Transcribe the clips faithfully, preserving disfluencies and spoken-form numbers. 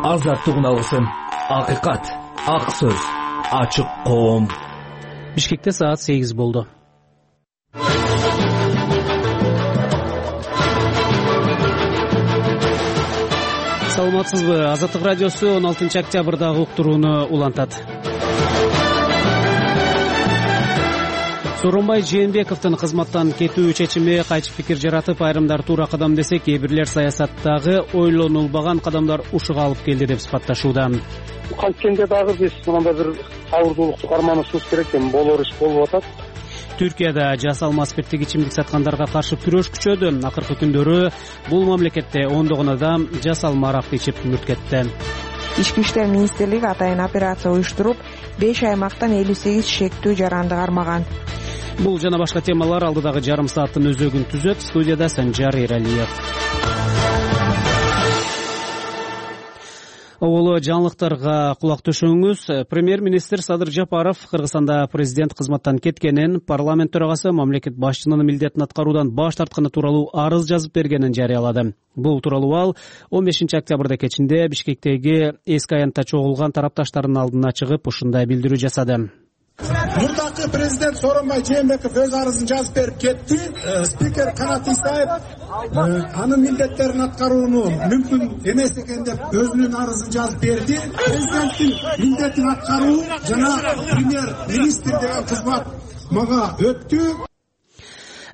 азаттыгын алсын. Акыйкат, ак сөз, ачык коом. Бишкекте саат сегиз болду. Саламатсызбы? Азаттык радиосу он алтынчы октябрдагы уктурууну улантат. Сооронбай Жээнбековдун кызматтан кетүү чечими кайчы пикир жаратып, айрымдар туура кадам десе, кээ бирлер саясаттагы ойлонулбаган кадамдар ушуга алып келди деп сыпатташууда. Кайткенде дагы биз мындай бир абырдуулукту карманышыбыз керек, эми болор иш болуп атат. Түркияда жасалма спирттик ичимдик саткандарга каршы күрөш күчөдү. Акыркы күндөрү бул мамлекетте ондогон адам жасалма аракты ичип мүрт кетти. Ички иштер министрлиги атайын операция уюштуруп, беш аймактан элүү сегиз шектүү жаранды кармаган. Бул жана башка темалар алдыдагы жарым сааттын өзөгүн түзөт. Студияда Санжар Эралиев. Оболо жаңылыктарга кулак төшөңүз. Премьер-министр Садыр Жапаров Кыргызстанда президент кызматтан кеткенин, парламент төрагасы мамлекет башчынын милдетин аткаруудан баш тартканы тууралуу арыз жазып бергенин жарыялады. Бул тууралуу ал он бешинчи октябрда кечинде Бишкектеги эски аянтта чогулган тарапташтардын алдына чыгып ушундай билдирүү жасады. Мурдакы президент Сооронбай Жээнбеков өз арызын жазып берип кетти. Спикер Канат Исаев анын милдеттерин аткарууну мүмкүн эмес экен деп өзүнүн арызын жазып берди. Президенттин милдетин аткаруу жана премьер-министр деген кызмат мага өттү.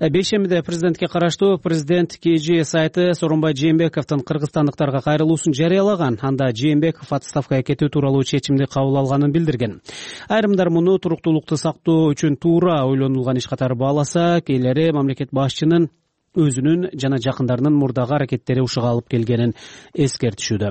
Бейшембиде президентке караштуу Президент КЖ сайты Сооронбай Жээнбековдун кыргызстандыктарга кайрылуусун жарыялаган. Анда Жээнбеков отставкага кетүү тууралуу чечимди кабыл алганын билдирген. Айрымдар муну туруктуулукту сактоо үчүн туура ойлонулган иш катары бааласа, кээлери мамлекет башчынын өзүнүн жана жакындарынын мурдагы аракеттери ушуга алып келгенин эскертишүүдө.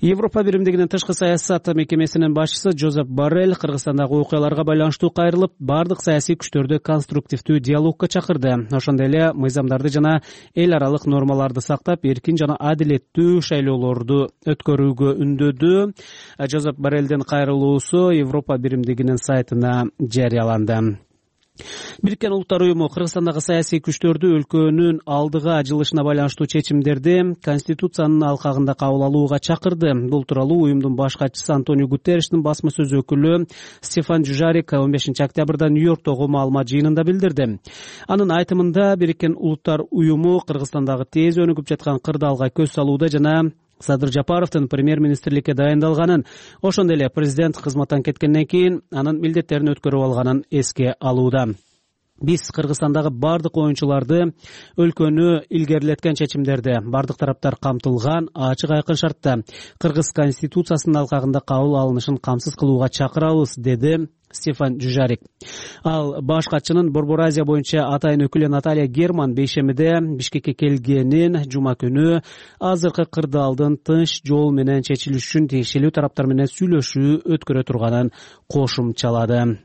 Европа биримдигинин тышкы саясат мекемесинин башчысы Жозеп Боррелл Кыргызстандагы окуяларга байланыштуу кайрылып, бардык саясий күчтөрдү конструктивдүү диалогко чакырды. Ошондой эле мыйзамдарды жана эл аралык нормаларды сактап, эркин жана адилеттүү шайлоолорду өткөрүүгө үндөдү. Жозеп Борреллдин кайрылуусу Европа биримдигинин сайтына жарыяланды. Бириккен Улуттар уюму Кыргызстандагы саясий күчтөрдү өлкөнүн алдыга жылышына байланыштуу чечимдерди Конституциянын алкагында кабыл алууга чакырды. Бул тууралуу уюмдун баш катчысы Антонио Гутерриштин басма сөз өкүлү Стефан Дюжарик он бешинчи октябрда Нью-Йорктогу маалымат жыйынында билдирди. Анын айтымында Бириккен Улуттар уюму Кыргызстандагы тез өнүгүп жаткан кырдаалга көз салууда жана Садыр Жапаровдун премьер-министрликке дайындалганын, ошондой эле президент кызматтан кеткенден кийин анын милдеттерин өткөрүп алганын эске алууда. Биз Кыргызстандагы бардык оюнчуларды өлкөнү илгерилеткен чечимдерди бардык тараптар камтылган ачык айкын шартта Кыргыз конституциясынын алкагында кабыл алынышын камсыз кылууга чакырабыз, деди Стефан Дюжарик. Ал баш катчынын Борбор Азия боюнча атайын өкүлү Наталья Герман бейшембиде Бишкекке келгенин, жума күнү азыркы кырдаалдын тынч жол менен чечилиш үчүн тиешелүү тараптар менен сүйлөшүү өткөрө турганын кошумчалады.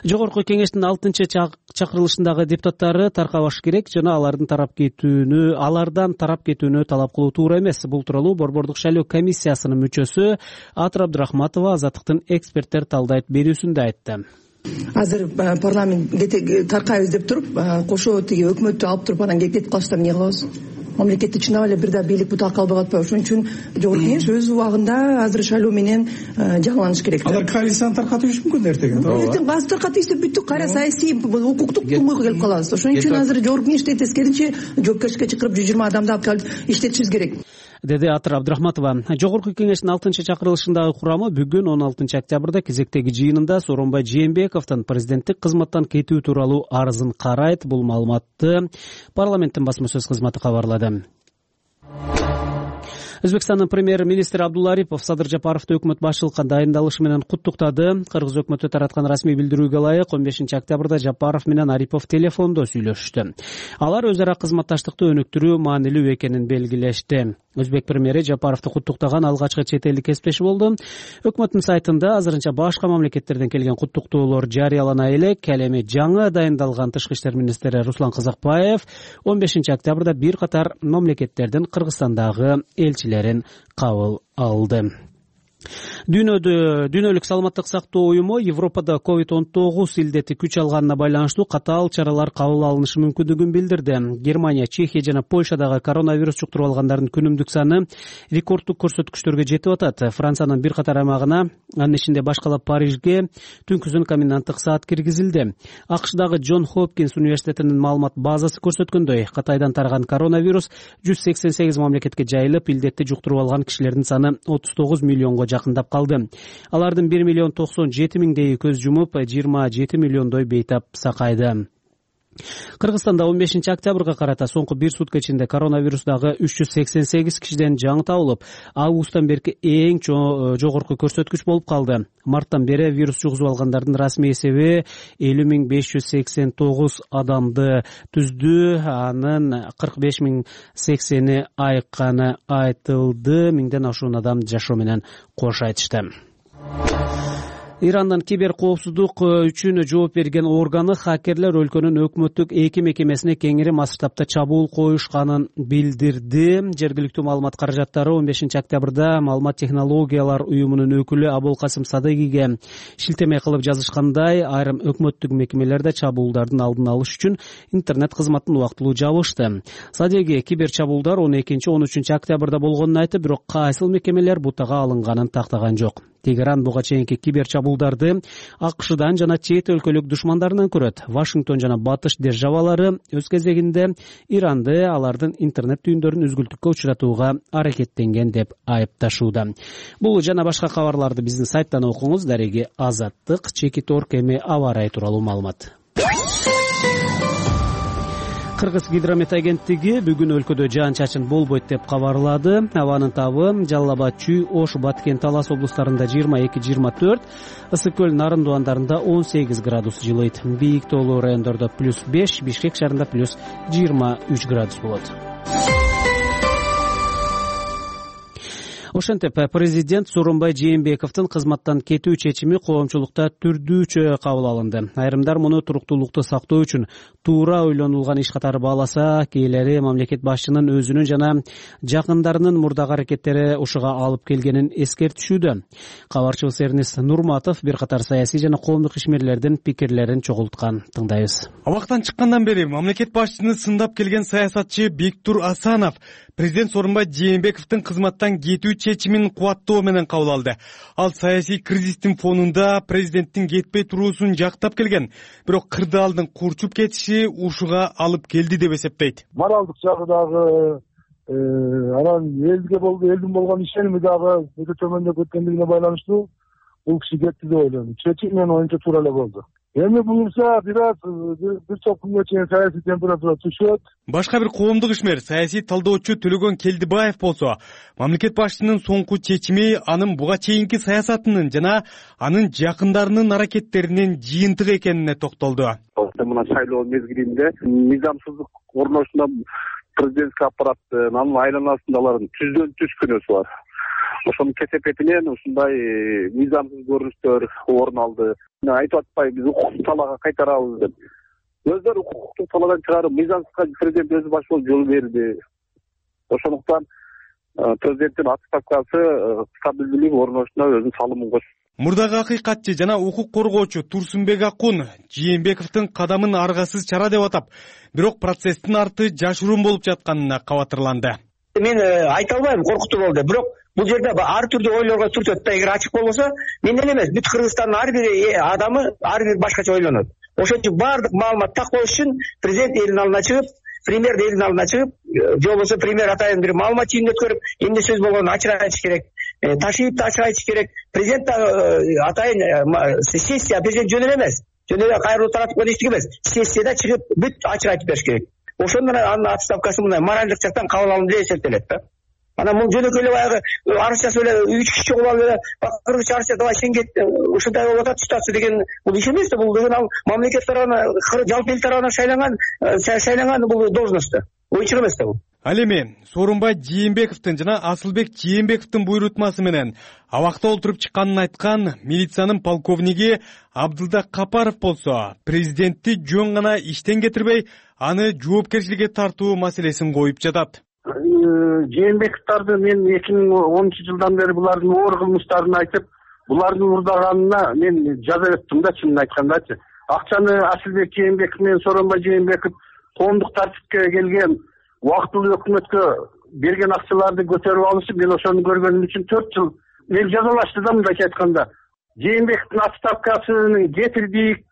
Жогорку кеңештин алтынчы чакырылышындагы депутаттары таркабаш керек жана алардын тарап кетүүнү, алардан тарап кетүүнү талап кылуу туура эмес. Бул тууралуу Борбордук шайлоо комиссиясынын мүчөсү Атыр Абдрахматова Азаттыктын эксперттер талдайт берүүсүндө айтты. Азыр парламент таркайбыз деп туруп, кошо тиги өкмөттү алып туруп анан кетип калыштар эмне кылабыз? Мамлекетте чынап эле бир да бийлик бутак калбай атпайбы? Ошон үчүн жогорку кеңеш өз убагында азыр шайлоо менен жаңыланыш керек. Алар коалицияны таркатышы мүмкүн эртең. Эртең газ таркатып ийсе бүттүк, кайра саясий укуктук тумойго келип калабыз. Ошон үчүн азыр жогорку кеңеште тескеринче жоопкерчиликке чакырып жүз жыйырма адамды алып келип иштетишибиз керек, деди Атыр Абдрахматова. Жогорку кеңештин алтынчы чакырылышындагы курамы бүгүн он алтынчы октябрда кезектеги жыйынында Сооронбай Жээнбековдун президенттик кызматтан кетүү тууралуу арызын карайт. Бул маалыматты парламенттин басма сөз кызматы кабарлады. Өзбекстандын премьер-министри Абдулла Арипов Садыр Жапаровду өкмөт башчылыкка дайындалышы менен куттуктады. Кыргыз өкмөтү тараткан расмий билдирүүгө ылайык он бешинчи октябрда Жапаров менен Арипов телефондо сүйлөшүштү. Алар өз ара кызматташтыкты өнүктүрүү маанилүү экенин белгилешти. Өзбек премьери Жапаровду куттуктаган алгачкы чет элдик кесиптеши болду. Өкмөттүн сайтында азырынча башка мамлекеттерден келген куттуктоолор жарыялана элек. Ал эми жаңы дайындалган тышкы иштер министри Руслан Казакбаев он бешинчи октябрда бир катар мамлекеттердин Кыргызстандагы элчилерин кабыл алды. Дүйнөдө дүйнөлүк саламаттык сактоо уюму Европада ковид он тогуз илдети күч алганына байланыштуу катаал чаралар кабыл алынышы мүмкүндүгүн билдирди. Германия, Чехия жана Польшадагы коронавирус жуктуруп алгандардын күнүмдүк саны рекорддук көрсөткүчтөргө жетип атат. Франциянын бир катар аймагына, анын ичинде башкалап Парижге түнкүсүн коменданттык саат киргизилди. АКШдагы Джон Хопкинс университетинин маалымат базасы көрсөткөндөй, Кытайдан тараган коронавирус жүз сексен сегиз мамлекетке жайылып, илдетти жуктуруп алган кишилердин саны отуз тогуз миллионго жакындап калды. Алардын бир миллион токсон жети миңдейи көз жумуп, жыйырма жети миллиондой бейтап сакайды. Кыргызстанда он бешинчи октябрга карата соңку бир сутка ичинде коронавирусдагы үч жүз сексен сегиз кишиден жаңы табылып, августтан берки эң жогорку көрсөткүч болуп калды. Марттан бери вирус жугузуп алгандардын расмий эсеби элүү миң беш жүз сексен тогуз адамды түздү. Анын кырк беш миң сексени айыкканы айтылды. Миңден ашуун адам жашоо менен кош айтышты. Ирандын кибер коопсуздук үчүн жооп берген органы хакерлер өлкөнүн өкмөттүк эки мекемесине кеңири масштабта чабуул коюшканын билдирди. Жергиликтүү маалымат каражаттары он бешинчи октябрда маалымат технологиялар уюмунун өкүлү Абулкасым Садыгиге шилтеме кылып жазышкандай, айрым өкмөттүк мекемелерде чабуулдардын алдын алыш үчүн интернет кызматын убактылуу жабышты. Садыги кибер чабуулдар он экинчи он үчүнчү октябрда болгонун айтып, бирок кайсыл мекемелер бутага алынганын тактаган жок. Тегеран буга чейинки кибер чабуулдарды АКШдан жана чет өлкөлүк душмандарынан көрөт. Вашингтон жана батыш державалары өз кезегинде Иранды алардын интернет түйүндөрүн үзгүлтүккө учуратууга аракеттенген деп айыпташууда. Бул жана башка кабарларды биздин сайттан окуңуз. Дареги Азаттык, Чекит Орг эми аба ырайы тууралуу маалымат. Кыргыз гидромет агенттиги бүгүн өлкөдө жаан-чачын болбойт деп кабарлады. Абанын табы Жалал Абад, Чүй, Ош, Баткен, Талас облустарында жыйырма эки жыйырма төрт, Ысык көл, Нарын Дуандарында он сегиз градус жылыйт. Бийик тоолуу райондордо плюс беш, Бишкек шаарында плюс жыйырма үч градус болот. Ошентип, президент Сооронбай Жээнбековдун кызматтан кетүү чечими коомчулукта түрдүүчө кабыл алынды. Айрымдар муну туруктуулукту сактоо үчүн туура ойлонулган иш катары бааласа, кээделери мамлекет башчынын өзүнүн жана жакындарынын мурдагы аракеттери ушуга алып келгенин эскертишүүдө. Кабарчыбыз Эрнис Нурматов бир катар саясий жана коомдук ишмерлердин пикирлерин чогулткан. Тыңдайбыз. Абактан чыккандан бери мамлекет башчыны сындап келген саясатчы Бектур Асанов президент Сооронбай Жээнбековдун кызматтан кетүү чечимин кубаттоо менен кабыл алды. Ал саясий кризистин фонунда президенттин кетпей туруусун жактап келген, бирок кырдаалдын курчуп кетиши ушуга алып келди деп эсептейт. Моралдык жагы дагы, анан элге болду, элдин болгон ишеними дагы өтө төмөндөп кеткендигине байланыштуу бул киши кетти деп ойлойм. Чечим менин оюнча туура эле болду. Эми буюрса бир аз бир топ күнгө чейин саясий температура түшөт. Башка бир коомдук ишмер, саясий талдоочу Төлөгөн Келдибаев болсо, мамлекет башчынын соңку чечими анын буга чейинки саясатынын жана анын жакындарынын аракеттеринин жыйынтыгы экенине токтолду. Мына шайлоо мезгилинде мыйзамсыздык орношуна президентский аппараттын, анын айланасында алардын түздөн түз күнөөсү бар. Ошонун кесепетинен ушундай мыйзамсыз көрүнүштөр орун алды. Айтып атпай биз укуктук талаага кайтарабыз деп. Өздөрү укуктук талаадан чыгарып, мыйзамсызга президент өзү баш болуп жол берди. Ошондуктан президенттин отставкасы стабилдүүлүк орношуна өзүнүн салымын кошт. Мурдагы акыйкатчы жана укук коргоочу Турсунбек Акун Жээнбековдун кадамын аргасыз чара деп атап, бирок процесстин арты жашыруун болуп жатканына кабатырланды. Мен айта албайм, коркутуу болду. Бирок бул жерде ар түрдүү ойлорго түртөт да, эгер ачык болбосо, менден эмес, бүт Кыргызстандын ар бир адамы ар бир башкача ойлонот. Ошон үчүн баардык маалымат так болуш үчүн президент элдин алдына чыгып, премьер элдин алдына чыгып, же болбосо премьер атайын бир маалымат жыйынын өткөрүп, эмне сөз болгонун ачык айтыш керек. Ташиевди ачык айтыш керек. Президент атайын сессия президент жөн эле эмес. Жөн эле кайрылуу таратып койду эчтеке эмес. Сессияда чыгып бүт ачык айтып бериш керек. Ошондон анын отставкасы мындай моралдык жактан кабыл алынды деп эсептелет да. Анан бул жөнөкөй эле баягы арыз жазып эле үч киши чогулуп алып эле кыргызча арыз давай сен кет, ушундай болуп атат ситуация деген бул иш эмес да. Бул деген ал мамлекет тарабынан, жалпы эл тарабынан шайланган шайланган бул должность да. Оюнчук эмес да бул. Ал эми Сооронбай Жээнбековдун жана Асылбек Жээнбековдун буйрутмасы менен абакта олтуруп чыкканын айткан милициянын полковниги Абдылда Капаров болсо, президентти жөн гана иштен кетирбей, аны жоопкерчиликке тартуу маселесин коюп жатат. Жээнбековдорду мен эки миң онунчу жылдан бери булардын оор кылмыштарын айтып, булардын урдаганына мен жаза өттүм да, чынын айткандачы. Акчаны Асылбек Жээнбеков менен Сооронбай Жээнбеков коомдук тартипке келген убактылуу өкмөткө берген акчаларды көтөрүп алышып, мен ошону көргөнүм үчүн төрт жыл мен жазалашты да, мындайча айтканда. Жээнбековдун отставкасын кетирдик,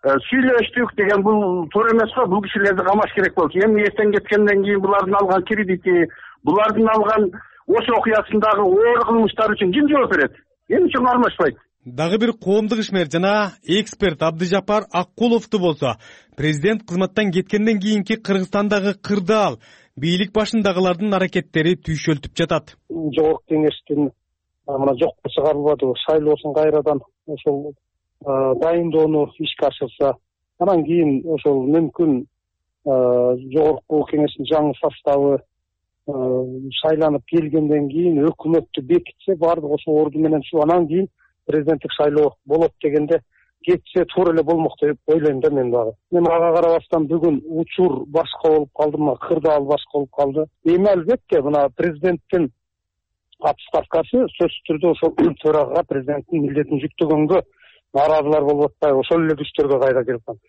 сүйлөштүк деген бул туура эмес го. Бул кишилерди камаш керек болчу. Эми эртең кеткенден кийин булардын алган кредити, булардын алган ошо окуясындагы оор кылмыштар үчүн ким жооп берет? Эмне үчүн кармашпайт? Дагы бир коомдук ишмер жана эксперт Абдыжапар Аккуловду болсо, президент кызматтан кеткенден кийинки Кыргызстандагы кырдаал бийлик башындагылардын аракеттери түйшөлтүп жатат. Жогорку кеңештин мына жокко чыгарылбады, шайлоосун кайрадан ошол дайындоону ишке ашырса, анан кийин ошол мүмкүн жогорку кеңештин жаңы составы шайланып келгенден кийин өкмөттү бекитсе, баардык ошол орду менен ушу анан кийин президенттик шайлоо болот дегенде кетсе туура эле болмок деп ойлойм да мен дагы. Мен ага карабастан бүгүн учур башка болуп калды, мына кырдаал башка болуп калды. Эми албетте мына президенттин отставкасы сөзсүз түрдө ошол төрага президенттин милдетин жүктөгөнгө нааразылар болуп атпайбы, ошол эле күчтөргө кайра келип калат.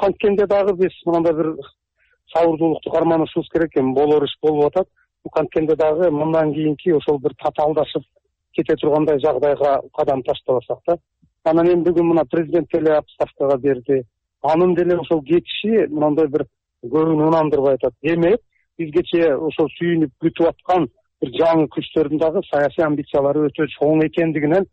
Канткенде дагы биз мындай бир сабырдуулукту карманышыбыз керек экен, болор иш болуп атат. Канткенде дагы мындан кийинки ошол бир татаалдашып кете тургандай жагдайга кадам таштабасак да. Анан эми бүгүн мына президент деле отставкага берди. Анын деле ошол кетиши мындай бир көбүн ынандырбай атат. Демек, бизгече ошол сүйүнүп күтүп аткан бир жаңы күчтөрдүн дагы саясий амбициялары өтө чоң экендигинен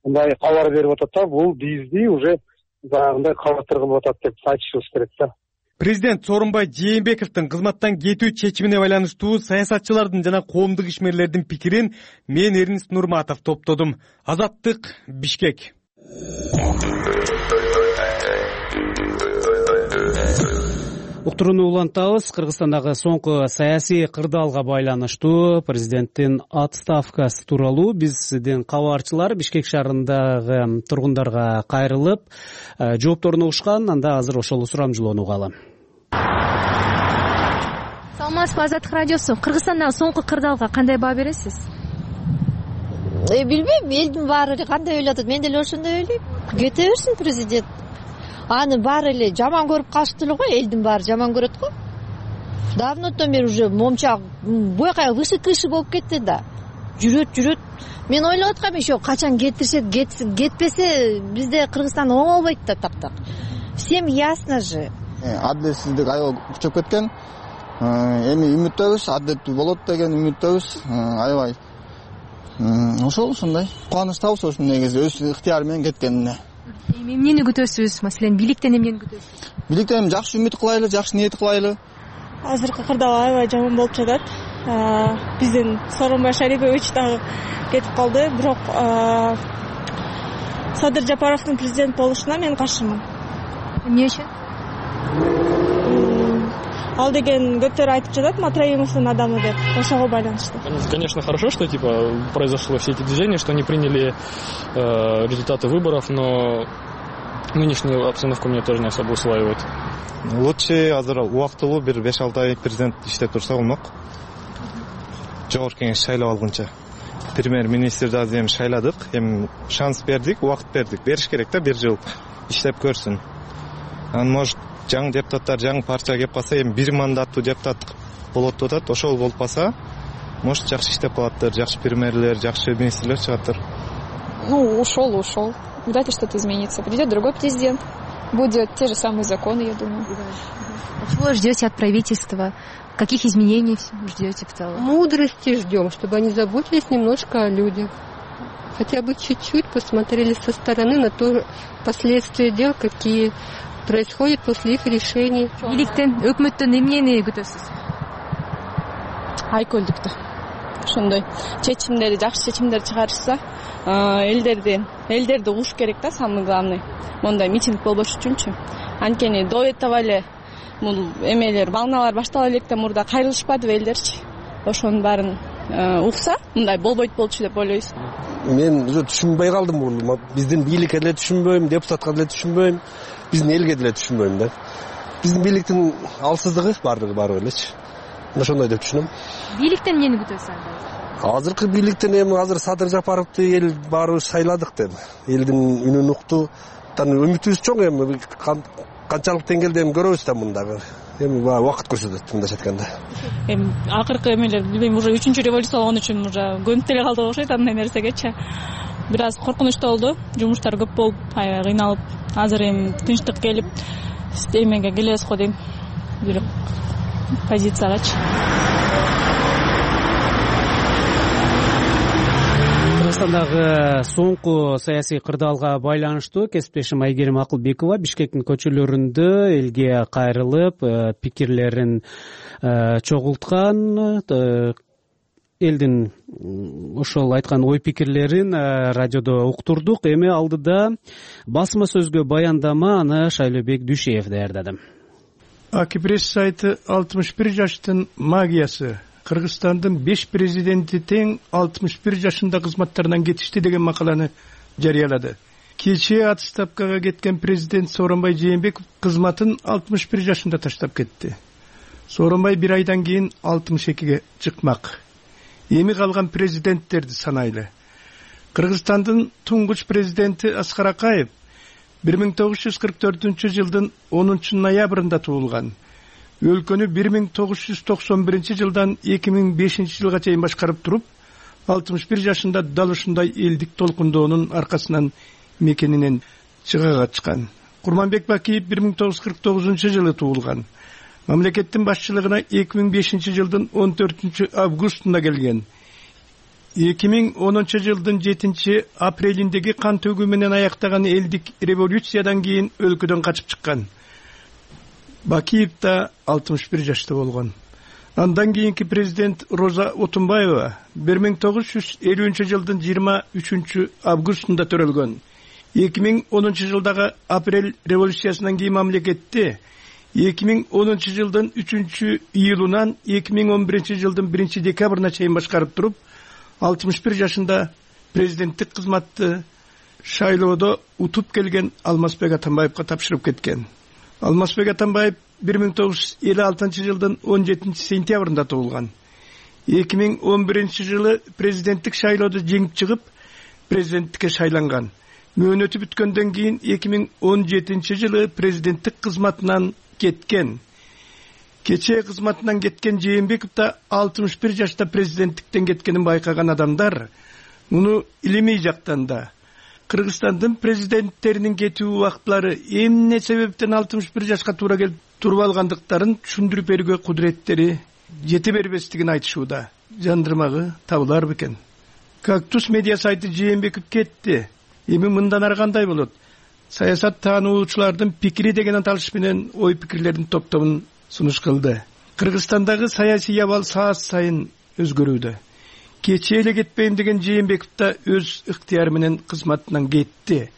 мындай кабар берип атат да. Бул бизди уже баягындай кабатыр кылып атат деп айтышыбыз керек да. Президент Сооронбай Жээнбековдун кызматтан кетүү чечимине байланыштуу саясатчылардын жана коомдук ишмерлердин пикирин мен Эрнис Нурматов топтодум. Азаттык, Бишкек. Уктурууну улантабыз. Кыргызстандагы соңку саясий кырдаалга байланыштуу президенттин отставкасы тууралуу биздин кабарчылар Бишкек шаарындагы тургундарга кайрылып жоопторун угушкан. Анда азыр ошол сурамжылоону угалы. Саламатсызбы, Азаттык радиосу. Кыргызстандагы соңку кырдаалга кандай баа бересиз? Э, билбейм, элдин баары кандай ойлоп атат, мен деле ошондой ойлойм. Кете берсин президент. Аны баары эле жаман көрүп калышты эле го, элдин баары жаман көрөт го. Давнотон бери уже момчак буяка вышы кышы болуп кетти да. Жүрөт, жүрөт. Мен ойлоп аткам, ошо качан кетиришет, кетпесе бизде Кыргызстан оңолбойт да таптак. Всем ясно же. Адилетсиздик аябай күчөп кеткен. Эми үмүттөбүз, адилеттүү болот деген үмүттөбүз. Аябай ошол ушундай кубанычтабыз ошол негизи өз ыктыяры менен кеткенине. Эми эмнени күтөсүз? Маселен, бийликтен эмнени күтөсүз? Бийликтен жакшы үмүт кылайлы, жакшы ниет кылайлы. Азыркы кырдаал аябай жаман болуп жатат. Биздин Сооронбай Шарипович дагы кетип калды, бирок Садыр Жапаровдун президент болушуна мен каршымын. Эмне үчүн? Ал деген көптөр айтып жатат, Матраимовдун адамы деп, ошого байланыштуу. Конечно, хорошо, что типа произошло все эти движения, что они приняли э, результаты выборов, но нынешнюю обстановку мне тоже не особо усваивает. Лучше азыр убактылуу бир беш алты ай президент иштеп турса болмок. Жогорку кеңеш шайлап алгынча. Премьер-министрди азыр эми шайладык, эми шанс бердик, убакыт бердик. Бериш керек да, бир жыл иштеп көрсүн. Анан может жаңы депутаттар, жаңы партия кеп калса, эми бир мандаттуу депутат болот деп атат. Ошол болуп калса, может жакшы иштеп калаттыр, жакшы премьерлер, жакшы министрлер чыгаттыр. Ну, ушел, ушел. Вряд ли что-то изменится. Придет другой президент, будет те же самые законы, я думаю. А чего ждете от правительства? Каких изменений ждете в целом? Мудрости ждем, чтобы они заботились немножко о людях. Хотя бы чуть-чуть посмотрели со стороны на то последствия дел, какие происходят после их решений. Бийликтен, өкмөттөн эмнени күтөсүз? Айкөлдүктү. Ошондой чечимдери, жакшы чечимдер чыгарышса, элдерди, элдерди угуш керек да, самый главный. Мондай митинг болбош үчүнчү. Анткени до этого эле бул эмелер, волналар баштала электе мурда кайрылышпадыбы элдерчи. Ошонун баарын укса, мындай болбойт болчу деп ойлойбуз. Мен уже түшүнбөй калдым бул. Биздин бийликке деле түшүнбөйм, депутатка деле түшүнбөйм, биздин элге деле түшүнбөйм да. Биздин бийликтин алсыздыгы бардыгы бар элечи. ошондой деп түшүнөм. Бийликтен эмнени күтөсүз анда? Азыркы бийликтен эми азыр Садыр Жапаровду эл баарыбыз шайладык деп. Элдин үнүн укту. Үмүтүбүз чоң эми канчалык деңгээлде эми көрөбүз да мындагы. Эми убакыт көрсөтөт мындайча айтканда. Эми акыркы эмелер билбейм, уже үчүнчү революция болгон үчүн уже көнүп деле калдык окшойт андай нерсегечи. Бир аз коркунучтуу болду. Жумуштар көп болуп, аябай кыйналып, азыр эми тынчтык келип, эмеге келебиз го дейм. Бир позициягачы. Кыргызстандагы соңку саясий кырдаалга байланыштуу кесиптешим Айгерим Акылбекова Бишкектин көчөлөрүндө элге кайрылып, пикирлерин чогулткан, элдин ошол айткан ой пикирлерин радиодо уктурдук. Эми алдыда басма сөзгө баяндама аны Шайлообек Дүйшеев даярдады. Акипресс сайты алтымыш бир жаштын магиясы. Кыргызстандын беш президенти тең алтымыш бир жашында кызматтарынан кетишти деген макаланы жарыялады. Кечээ отставкага кеткен президент Сооронбай Жээнбеков кызматын алтымыш бир жашында таштап кетти. Сооронбай бир айдан кийин алтымыш экиге чыкмак. Эми калган президенттерди санайлы. Кыргызстандын туңгуч президенти Аскар Акаев бир миң тогуз жүз кырк төртүнчү жылдын онунчу ноябрында туулган. Өлкөнү бир миң тогуз жүз токсон биринчи жылдан эки миң бешинчи жылга чейин башкарып туруп, алтымыш бир жашында дал ушундай элдик толкундоонун аркасынан мекенинен чыга качкан. Курманбек Бакиев бир миң тогуз жүз кырк тогузунчу жылы туулган. Мамлекеттин башчылыгына эки миң бешинчи жылдын он төртүнчү августунда келген. эки миң онунчу жылдын жетинчи апрелиндеги кан төгүү менен аяктаган элдик революциядан кийин өлкөдөн качып чыккан. Бакиев да алтымыш бир жашта болгон. Андан кийинки президент Роза Отунбаева бир миң тогуз жүз элүүнчү жылдын жыйырма үчүнчү августунда төрөлгөн. эки миң онунчу жылдагы апрель революциясынан кийин мамлекетти эки миң онунчу жылдын үчүнчү июлунан эки миң он биринчи жылдын биринчи декабрына чейин башкарып туруп, алтымыш бир жашында президенттик кызматты шайлоодо утуп келген Алмазбек Атамбаевга тапшырып кеткен. Алмазбек Атамбаев бир миң тогуз жүз элүү алтынчы жылдын он жетинчи сентябрында туулган. эки миң он биринчи жылы президенттик шайлоодо жеңип чыгып, президенттикке шайланган. Мөөнөтү бүткөндөн кийин эки миң он жетинчи жылы президенттик кызматынан кеткен. Кечээ кызматынан кеткен Жээнбеков да алтымыш бир жашта президенттиктен кеткенин байкаган адамдар муну илимий жактан да Кыргызстандын президенттеринин кетүү убактылары эмне себептен алтымыш бир жашка туура келип туруп алгандыктарын түшүндүрүп берүүгө кудуреттери жете бербестигин айтышууда. Жандырмагы табылар бекен. Кактус медиа сайты Жээнбеков кетти. Эми мындан ары кандай болот? Саясат таануучулардын пикири деген аталыш менен ой пикирлердин топтомун сунуш кылды. Кыргызстандагы саясий абал саат сайын өзгөрүүдө. Кечээ эле кетпейм деген Жээнбеков да өз ыктыяры менен кызматынан кетти.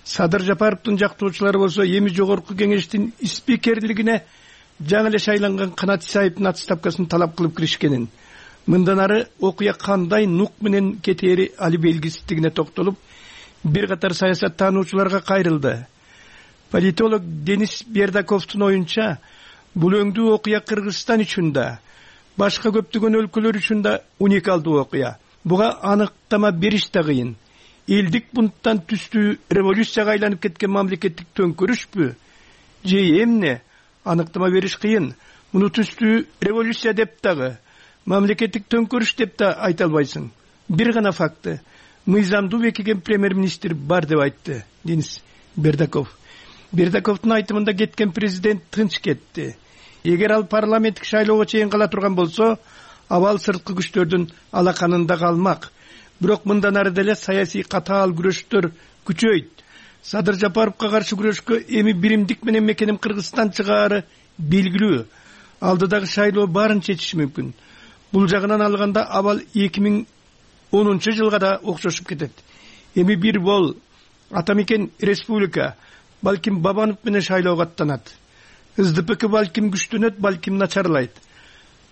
Садыр Жапаровдун жактоочулары болсо эми жогорку кеңештин спикерлигине жаңы эле шайланган Канат Исаевдин отставкасын талап кылып киришкенин, мындан ары окуя кандай нук менен кетери али белгисиздигине токтолуп, бир катар саясат таануучуларга кайрылды. Политолог Денис Бердаковдун оюнча, бул өңдүү окуя Кыргызстан үчүн да, башка көптөгөн өлкөлөр үчүн да уникалдуу окуя. Буга аныктама бериш да кыйын. Элдик бунттан түстүү революцияга айланып кеткен мамлекеттик төңкөрүшпү? Же эмне? Аныктама бериш кыйын. Муну түстүү революция деп дагы, мамлекеттик төңкөрүш деп да айта албайсың. Бир гана факты. Мыйзамдуу бекиген премьер-министр бар деп айтты Денис Бердаков. Бердаковдун айтымында кеткен президент тынч кетти. Эгер ал парламенттик шайлоого чейин кала турган болсо, абал сырткы күчтөрдүн алаканында калмак. Бирок мындан ары деле саясий катаал күрөштөр күчөйт. Садыр Жапаровго каршы күрөшкө эми биримдик менен мекеним Кыргызстан чыгаары белгилүү. Алдыдагы шайлоо баарын чечиши мүмкүн. Бул жагынан алганда абал эки миң онунчу жылга да окшошуп кетет. Эми бир бол атамекен республика, балким Бабанов менен шайлоого аттанат. СДПК балким күчтөнөт, балким начарлайт.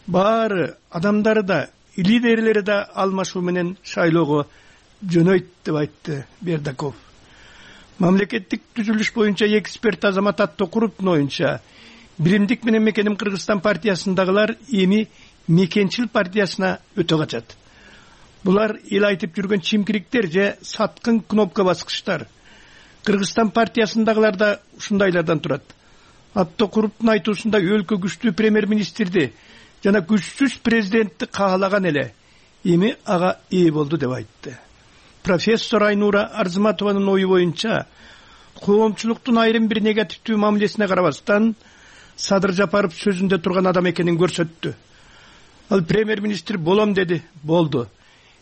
Баары адамдары да, лидерлери да алмашуу менен шайлоого жөнөйт деп айтты Бердаков. Мамлекеттик түзүлүш боюнча эксперт Азамат Аттокуровдун оюнча, биримдик менен мекеним Кыргызстан партиясындагылар эми Мекенчил партиясына өтө качат. Булар эл айтып жүргөн чимкириктер же саткын кнопка баскычтар. Кыргызстан партиясындагылар да ушундайлардан турат. Аттокуруптун айтуусунда өлкө күчтүү премьер-министрди жана күчсүз президентти каалаган эле эми ага ээ болду деп айтты. Профессор Айнура Арзыматованын ою боюнча, коомчулуктун айрым бир негативдүү мамилесине карабастан Садыр Жапаров сөзүндө турган адам экенин көрсөттү. Ал премьер-министр болом деди, болду.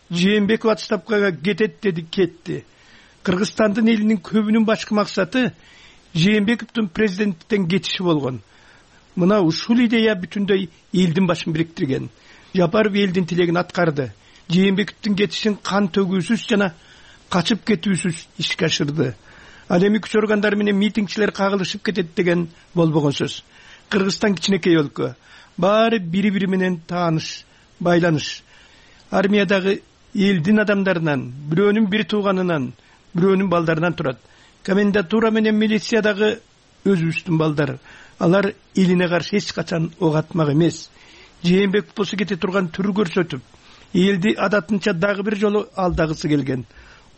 Жээнбеков отставкага кетет деди, кетти. Кыргызстандын элинин көбүнүн башкы максаты Жээнбековдун президенттен кетиши болгон. Мына ушул идея бүтүндөй элдин башын бириктирген. Жапаров элдин тилегин аткарды. Жээнбековдун кетишин кан төгүүсүз жана качып кетүүсүз ишке ашырды. Ал эми күч органдары менен митингчилер кагылышып кетет деген болбогон сөз. Кыргызстан кичинекей өлкө. Баары бири-бири менен тааныш, байланыш. Армиядагы элдин адамдарынан, бирөөнүн бир тууганынан, бирөөнүн балдарынан турат. Комендатура менен милициядагы өзүбүздүн балдар. Алар элине каршы эч качан ок атмак эмес. Жээнбеков болсо кете турган түр көрсөтүп, элди адатынча дагы бир жолу алдагысы келген.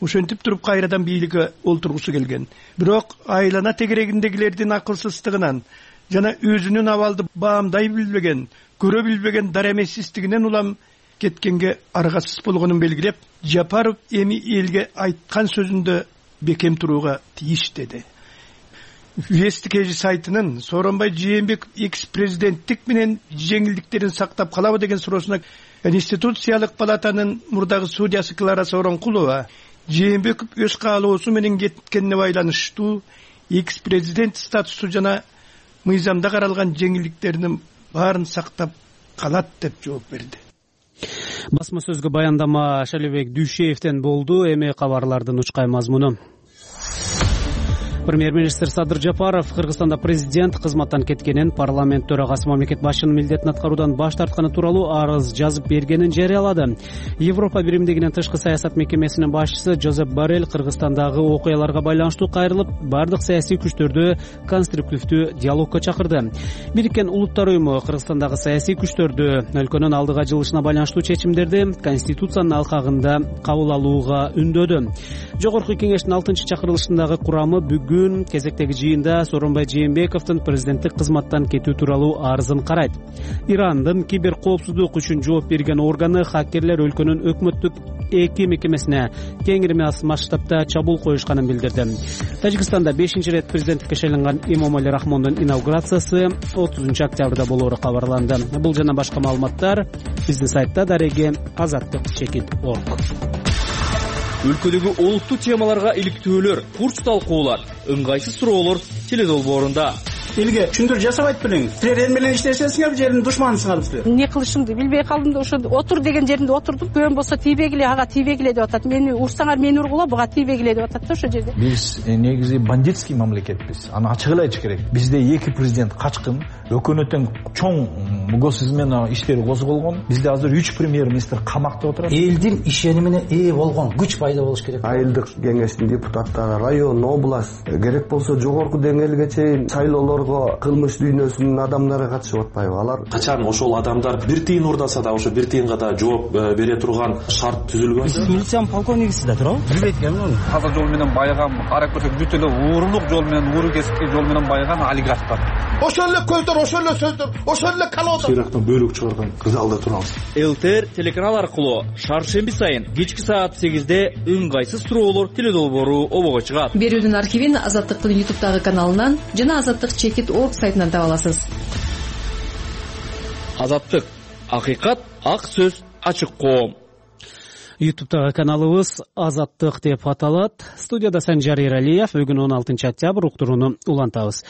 Ошентип туруп кайрадан бийликке олтургусу келген. Бирок айлана тегерегиндегилердин акылсыздыгынан жана өзүнүн абалды баамдай билбеген, көрө билбеген дар эмессиздигинен улам кеткенге аргасыз болгонун белгилеп, Жапаров эми элге айткан сөзүндө бекем турууга тийиш деди. Вести кж сайтынын Сооронбай Жээнбеков экс-президенттик менен жеңилдиктерин сактап калабы деген суроосуна Конституциялык палатанын мурдагы судьясы Клара Сооронкулова Жээнбеков өз каалоосу менен кеткенине байланыштуу экс-президент статусу жана мыйзамда каралган жеңилдиктеринин баарын сактап калат деп жооп берди. Басма сөзгө баяндама Шалебек Дүйшеевден болду. Эми кабарлардын учкай мазмуну. Премьер-министр Садыр Жапаров Кыргызстанда президент кызматтан кеткенин, парламент төрагасы мамлекет башчынын милдетин аткаруудан баш тартканы тууралуу арыз жазып бергенин жарыялады. Европа биримдигинин тышкы саясат мекемесинин башчысы Жозеп Боррелл Кыргызстандагы окуяларга байланыштуу кайрылып, бардык саясий күчтөрдү конструктивдүү диалогко чакырды. Бириккен Улуттар уюму Кыргызстандагы саясий күчтөрдү өлкөнүн алдыга жылышына байланыштуу чечимдерди Конституциянын алкагында кабыл алууга үндөдү. Жогорку кеңештин алтынчы чакырылышындагы курамы бүгүн кезектеги жыйында Сооронбай Жээнбековдун президенттик кызматтан кетүү тууралуу арызын карайт. Ирандын кибер коопсуздук үчүн жооп берген органы хакерлер өлкөнүн өкмөттүк эки мекемесине кеңири масштабта чабуул коюшканын билдирди. Тажикстанда бешинчи ирет президенттикке шайланган Эмомали Рахмондун инаугурациясы отузунчу октябрда болоору кабарланды. Бул жана башка маалыматтар биздин сайтта дареги азаттык чекит точка орг. Өлкөдөгү олуттуу темаларга иликтөөлөр, курс талкуулар, ыңгайсыз суроолор теледолбоорунда. Элге түшүндүрүү жасабайт белең. Силер эл менен иштесеңиздер, жердин душманысыңар силер. Эмне кылышымды билбей калдым да ошо отур деген жеринде отурдум. Көөм болсо тийбегиле, ага тийбегиле деп атат. Мени урсаңар мени ургула, буга тийбегиле деп атат да ошо жерде. Биз негизи бандитский мамлекетпиз. Аны ачык эле айтыш керек. Бизде эки президент качкын, өкмөттүн чоң госизмена иштери козголгон. Бизде азыр үч премьер-министр камакта отурат. Элдин ишенимине ээ болгон күч пайда болуш керек. Айылдык кеңештин депутаттары, район, область, керек болсо жогорку деңгээлге чейин шайлоолорго кылмыш дүйнөсүнүн адамдары катышып атпайбы? Алар качан ошол адамдар бир тыйын урдаса да ошо бир тыйынга да жооп бере турган шарт түзүлгөн. Сиз милициянын полковнигисиз да туурабы? Билбейт экенмин. Таза жол менен байган, ара көрсөк бүт эле уурулук жол менен, ууру кесипки жол менен байган олигархтар. Ошол эле көздөр, ошол эле сөздөр, ошол эле калоодо. Сыйрактан бөлүк чыгарган залда турабыз. ЛТР телеканал аркылуу шаршемби сайын кечки саат сегизде ыңгайсыз суроолор теледолбоору обого чыгат. Берүүнүн архивин Азаттыктын ютубтагы каналынан жана азаттык чекит точка орг сайтынан таба аласыз. Азаттык, акыйкат, ак сөз, ачык коом. ютубтагы каналыбыз Азаттык деп аталат. Студияда Санжар Эралиев. Бүгүн он алтынчы октябрь, уктурууну улантабыз.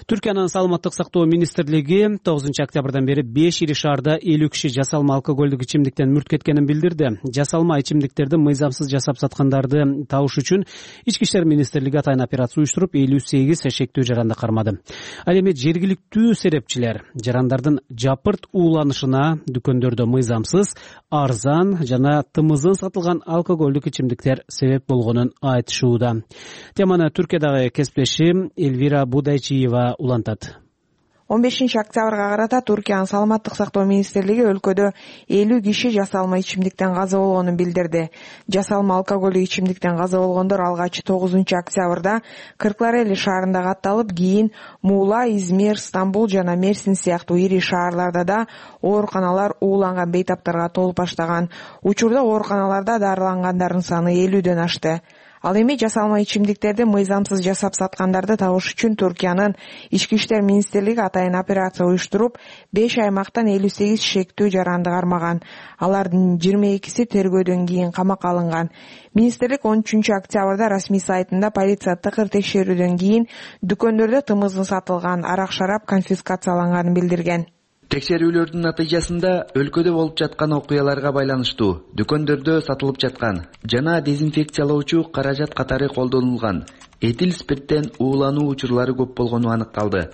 Түркиянын саламаттык сактоо министрлиги тогузунчу октябрдан бери беш ири шаарда элүү киши жасалма алкоголдук ичимдиктен мүрт кеткенин билдирди. Жасалма ичимдиктерди мыйзамсыз жасап саткандарды табыш үчүн Ички иштер министрлиги атайын операция уюштуруп, элүү сегиз шектүү жаранды кармады. Ал эми жергиликтүү серепчилер жарандардын жапырт ууланышына дүкөндөрдө мыйзамсыз, арзан жана тымызын сатылган алкоголдук ичимдиктер себеп болгонун айтышууда. Теманы Түркиядагы кесиптешим Эльвира Будайчиева улантат. он бешинчи октябрга карата Туркиянын саламаттык сактоо министрлиги өлкөдө элүү киши жасалма ичимдиктен каза болгонун билдирди. Жасалма алкоголдук ичимдиктен каза болгондор алгач тогузунчу октябрда Кыркларели шаарында катталып, кийин Муула, Измир, Стамбул жана Мерсин сыяктуу ири шаарларда да ооруканалар ууланган бейтаптарга толуп баштаган. Учурда ооруканаларда дарылангандардын саны элүүдөн ашты. Ал эми жасалма ичимдиктерди мыйзамсыз жасап саткандарды табыш үчүн Туркиянын ички иштер министрлиги атайын операция уюштуруп, беш аймактан элүү сегиз шектүү жаранды кармаган. Алардын жыйырма экиси тергөөдөн кийин камакка алынган. Министрлик он үчүнчү октябрда расмий сайтында полиция тыкыр текшерүүдөн кийин дүкөндөрдө тымыздын сатылган арак-шарап конфискацияланганын билдирген. Текшерүүлөрдүн натыйжасында өлкөдө болуп жаткан окуяларга байланыштуу дүкөндөрдө сатылып жаткан жана дезинфекциялоочу каражат катары колдонулган этил спирттен уулануу учурлары көп болгону аныкталды.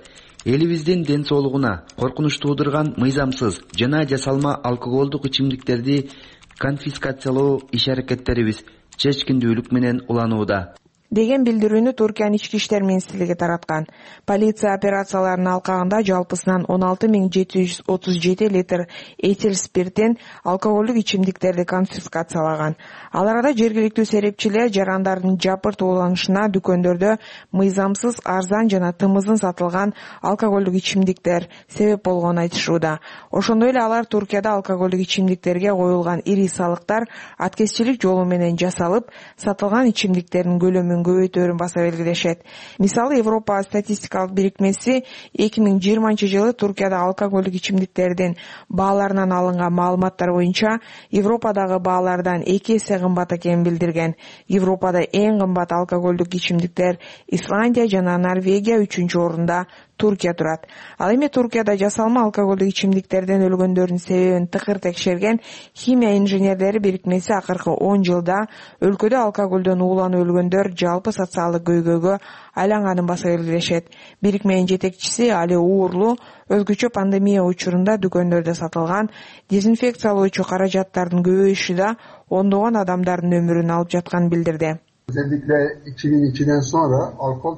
Элибиздин ден соолугуна коркунуч туудурган мыйзамсыз жана жасалма алкоголдук ичимдиктерди конфискациялоо иш-аракеттерибиз чечкиндүүлүк менен уланууда деген билдирүүнү Туркиянын ички иштер министрлиги тараткан. Полиция операцияларынын алкагында жалпысынан он алты миң жети жүз отуз жети литр этил спирттен алкоголдук ичимдиктерди конфискациялаган. Аларда жергиликтүү серепчилер жарандардын жапырт ууланышына дүкөндөрдө мыйзамсыз, арзан жана тымыздын сатылган алкоголдук ичимдиктер себеп болгонун айтышууда. Ошондой эле алар Туркияда алкоголдук ичимдиктерге коюлган ири салыктар аткезчилик жолу менен жасалып, сатылган ичимдиктердин көлөмүн көбөйтөөрүн баса белгилешет. Мисалы, Европа статистикалык бирикмеси эки миң жыйырманчы жылы Туркияда алкоголдук ичимдиктердин бааларынан алынган маалыматтар боюнча Европадагы баалардан эки эсе кымбат экенин билдирген. Европада эң кымбат алкоголдук ичимдиктер Исландия жана Норвегия, үчүнчү орунда Туркия турат. Ал эми Туркияда жасалма алкоголдук ичимдиктерден өлгөндөрдүн себебин тыкыр текшерген химия инженерлери бирикмеси акыркы он жылда өлкөдө алкоголдон ууланып өлгөндөр жалпы социалдык көйгөйгө айланганын баса белгилешет. Бирикменин жетекчиси Али Уурлу өзгөчө пандемия учурунда дүкөндөрдө сатылган дезинфекциялоочу каражаттардын көбөйүшү да ондогон адамдардын өмүрүн алып жатканын билдирди.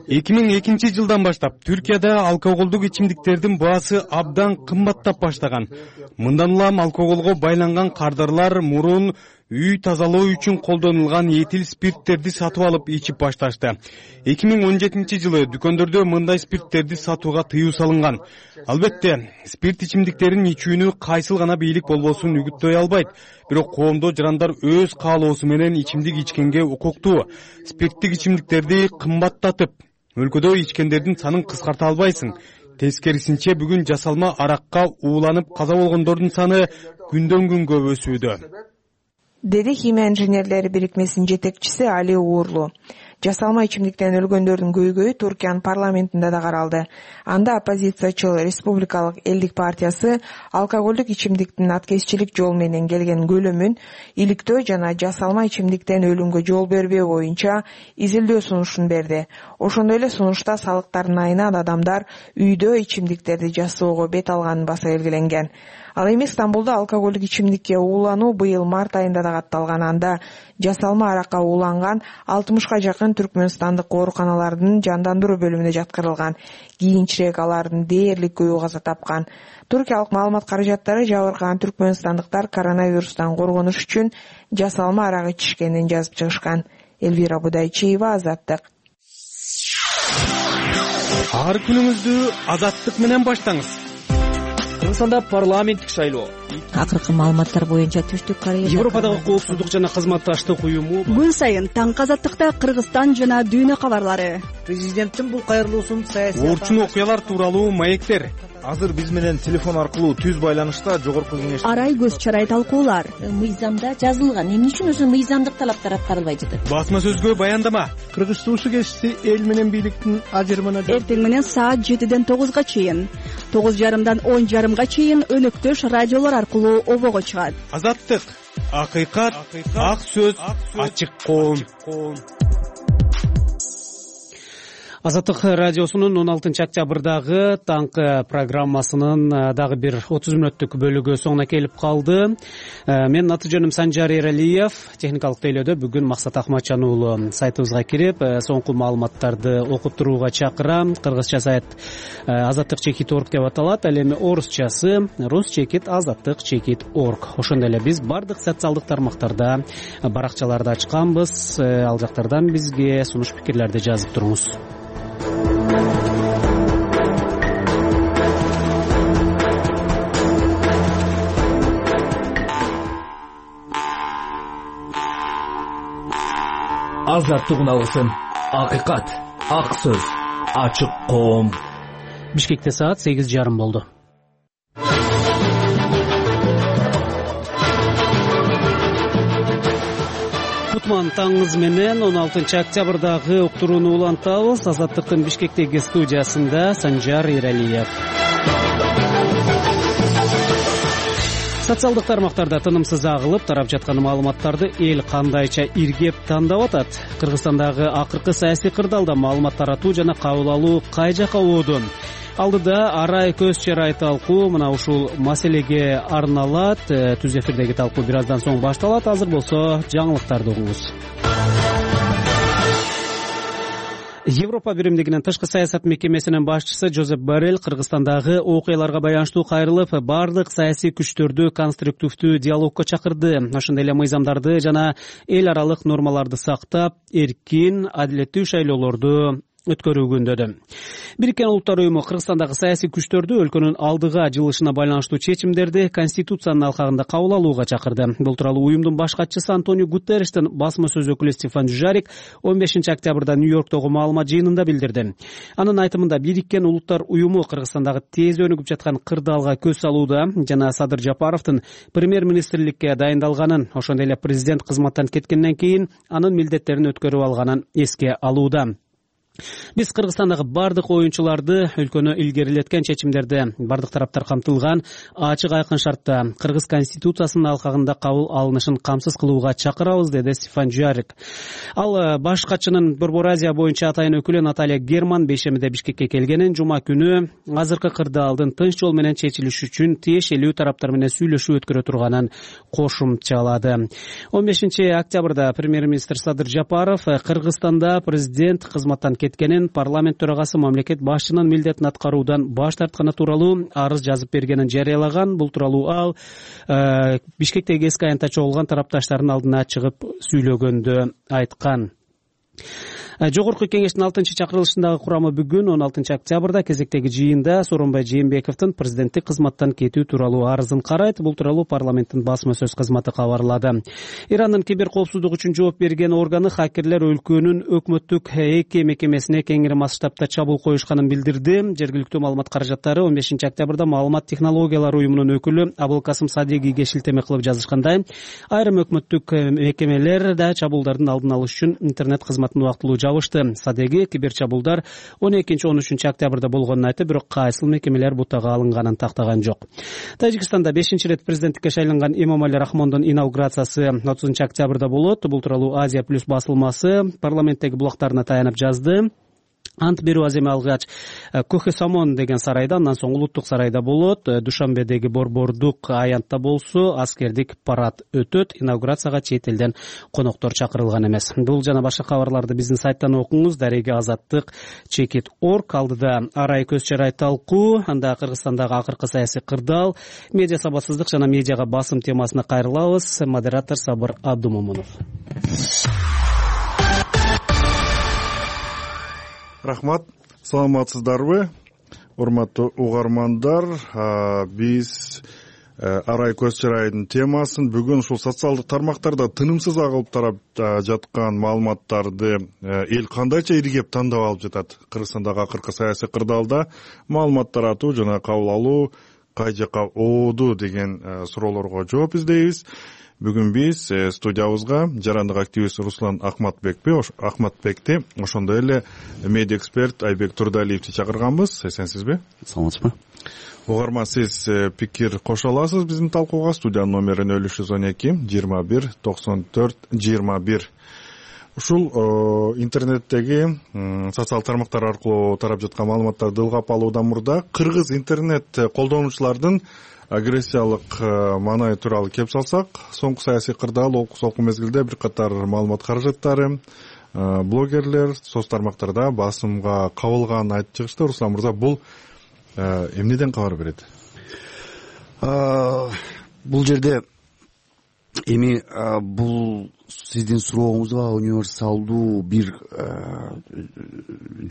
эки миң экинчи жылдан баштап Түркияда алкоголдук ичимдиктердин баасы абдан кымбаттап баштаган. Мындан улам алкоголго байланган кардарлар мурун үй тазалоо үчүн колдонулган этил спирттерди сатып алып ичип башташты. эки миң он жетинчи жылы дүкөндөрдө мындай спирттерди сатууга тыюу салынган. Албетте, спирт ичимдиктерин ичүүнү кайсыл гана бийлик болбосун үгүттөй албайт. Бирок коомдо жарандар өз каалоосу менен ичимдик ичкенге укуктуу. Спирттик ичимдиктерди кымбаттатып, өлкөдө ичкендердин санын кыскарта албайсың. Тескерисинче бүгүн жасалма аракка ууланып каза болгондордун саны күндөн күнгө өсүүдө, деди химия инженерлери бирикмесинин жетекчиси Али Уурлу. Жасалма ичимдиктен өлгөндөрдүн көйгөйү Туркиянын парламентинде да каралды. Анда оппозициячыл Республикалык элдик партиясы алкоголдук ичимдиктин аткезчилик жол менен келген көлөмүн иликтөө жана жасалма ичимдиктен өлүмгө жол бербөө боюнча изилдөө сунушун берди. Ошондой эле сунушта салыктардын айынан адамдар үйдө ичимдиктерди жасоого бет алганын баса белгиленген. Ал эми Стамбулда алкоголдук ичимдикке уулануу быйыл март айында да катталган. Анда жасалма аракка ууланган алтымышка жакын түркмөнстандык ооруканалардын жандандыруу бөлүмүнө жаткырылган. Кийинчерээк алардын дээрлик көбү каза тапкан. Туркиялык маалымат каражаттары жабыркаган түркмөнстандыктар коронавирустан коргонуш үчүн жасалма арак ичишкенин жазып чыгышкан. Элвира Будайчиева, Азаттык. Ар күнүңүздү Азаттык менен баштаңыз. Кыргызстанда парламенттик шайлоо. Акыркы маалыматтар боюнча Түштүк Корея Европадагы коопсуздук жана кызматташтык уюму күн сайын таң Азаттыкта Кыргызстан жана дүйнө кабарлары. Президенттин бул кайрылуусун саясий орчун окуялар тууралуу маектер. Азыр биз менен телефон аркылуу түз байланышта жогорку кеңеш Арай көз чарай талкуулар. Мыйзамда жазылган. Эмне үчүн өзү мыйзамдык талаптар аткарылбай жатат? Басма сөзгө баяндама. Кыргыз суусу кести эл менен бийликтин ажырымына эртең менен саат жетиден тогузга чейин, тогуз жарымдан он жарымга чейин өнөктөш радиолор аркылуу обого чыгат. Азаттык, акыйкат, ак сөз, ачык коом. Азаттык радиосунун он алтынчы октябрдагы таңкы программасынын дагы бир отуз мүнөттүк бөлүгү соңуна келип калды. Менин аты жөнүм Санжар Эралиев. Техникалык тейлөөдө бүгүн Максат Акматжан уулу. Сайтыбызга кирип, соңку маалыматтарды окуп турууга чакырам. Кыргызча сайт азаттык чекит орг деп аталат. Ал эми орусчасы рус чекит азаттык чекит орг. Ошондой эле биз бардык социалдык тармактарда баракчаларды ачканбыз. Ал жактардан бизге сунуш пикирлерди жазып туруңуз. Азаттык алгысын, акыйкат, ак сөз, ачык коом. Бишкекте саат сегиз жарым болду. Кутман таңыңыз менен он алтынчы октябрдагы уктурууну улантабыз. Азаттыктын Бишкектеги студиясында Санжар Эралиев. Социалдык тармактарда тынымсыз агылып тарап жаткан маалыматтарды эл кандайча иргеп тандап атат? Кыргызстандагы акыркы саясий кырдаалда маалымат таратуу жана кабыл алуу кай жака ооду? Алдыда арай көз чарай талкуу мына ушул маселеге арналат. Түз эфирдеги талкуу бир аздан соң башталат. Азыр болсо жаңылыктарды угуңуз. Европа биримдигинин тышкы саясат мекемесинин башчысы Жозеп Боррелл Кыргызстандагы окуяларга байланыштуу кайрылып, бардык саясий күчтөрдү конструктивдүү диалогко чакырды. Ошондой эле мыйзамдарды жана эл аралык нормаларды сактап, эркин, адилеттүү шайлоолорду өткөрүүгүндөдү. Бириккен Улуттар уюму Кыргызстандагы саясий күчтөрдү өлкөнүн алдыга жылышына байланыштуу чечимдерди Конституциянын алкагында кабыл алууга чакырды. Бул тууралуу уюмдун баш катчысы Антонио Гутерриштин басма сөз өкүлү Стефан Дюжарик он бешинчи октябрда Нью-Йорктогу маалымат жыйынында билдирди. Анын айтымында Бириккен Улуттар уюму Кыргызстандагы тез өнүгүп жаткан кырдаалга көз салууда жана Садыр Жапаровдун премьер-министрликке дайындалганын, ошондой эле президент кызматтан кеткенден кийин анын милдеттерин өткөрүп алганын эске алууда. Биз Кыргызстандагы бардык оюнчуларды өлкөнү илгерилеткен чечимдерде бардык тараптар камтылган ачык айкын шартта Кыргыз Конституциясынын алкагында кабыл алынышын камсыз кылууга чакырабыз, деди Стефан Дюжарик. Ал баш катчынын Борбор Азия боюнча атайын өкүлү Наталья Герман бейшембиде Бишкекке келгенин, жума күнү азыркы кырдаалдын тынч жол менен чечилиши үчүн тиешелүү тараптар менен сүйлөшүү өткөрө турганын кошумчалады. он бешинчи октябрда премьер-министр Садыр Жапаров Кыргызстанда президент кызматтан кеткенин, парламент төрагасы мамлекет башчынын милдетин аткаруудан баш тартканы тууралуу арыз жазып бергенин жарыялаган. Бул тууралуу ал э, Бишкектеги эски аянтта чогулган тарапташтардын алдына чыгып сүйлөгөндө айткан. Жогорку кеңештин алтынчы чакырылышындагы курамы бүгүн он алтынчы октябрда кезектеги жыйында Сооронбай Жээнбековдун президенттик кызматтан кетүү тууралуу арызын карайт. Бул тууралуу парламенттин басма сөз кызматы кабарлады. Ирандын кибер коопсуздук үчүн жооп берген органы хакерлер өлкөнүн өкмөттүк эки мекемесине кеңири масштабта чабуул коюшканын билдирди. Жергиликтүү маалымат каражаттары он бешинчи октябрда маалымат технологиялары уюмунун өкүлү Абылкасым Садегиге шилтеме кылып жазышкандай, айрым өкмөттүк мекемелер да чабуулдардын алдын алыш үчүн интернет кызматын убактылуу жабышты. Садеги кибер чабуулдар он экинчи он үчүнчү октябрда болгонун айтып, бирок кайсыл мекемелер бутага алынганын тактаган жок. Тажикстанда бешинчи ирет президенттикке шайланган Эмомали Рахмондун инаугурациясы отузунчу октябрда болот. Бул тууралуу Азия плюс басылмасы парламенттеги булактарына таянып жазды. Ант берүү аземи алгач Көхө Самон деген сарайда, андан соң Улуттук сарайда болот. Душанбедеги борбордук аянтта болсо аскердик парад өтөт. Инаугурацияга чет элден коноктор чакырылган эмес. Бул жана башка кабарларды биздин сайттан окуңуз. Дареги азаттык чекит орг. Алдыда арай көз чарай талкуу, анда Кыргызстандагы акыркы саясий кырдаал, медиа сабатсыздык жана медиага басым темасына кайрылабыз. Модератор Сабыр Абдумомунов. Рахмат, саламатсыздарбы, урматтуу угармандар. Биз арай көз чарайдын темасын бүгүн ушул социалдык тармактарда тынымсыз агылып тарап жаткан маалыматтарды эл кандайча иргеп тандап алып жатат? Кыргызстандагы акыркы саясий кырдаалда маалымат таратуу жана кабыл алуу кай жака ооду деген суроолорго жооп издейбиз. Бүгүн биз студиябызга жарандык активист Руслан Акматбекти, Акматбекти, ошондой эле медиа эксперт Айбек Турдалиевди чакырганбыз. Эсенсизби? Саламатсызбы? Угарман, сиз пикир кошо аласыз биздин талкууга. Студиянын номери нөл үч жүз он эки жыйырма бир токсон төрт жыйырма бир. ушул интернеттеги социалдык тармактар аркылуу тарап жаткан маалыматтарды ылгап алуудан мурда кыргыз интернет колдонуучулардын агрессиялык маанай тууралуу кеп салсак, соңку саясий кырдаал окуу мезгилде бир катар маалымат каражаттары, блогерлер соц тармактарда басымга кабылганын айтып чыгышты. Руслан мырза, бул эмнеден кабар берет? Бул жерде эми бул сиздин сурооңузга универсалдуу бир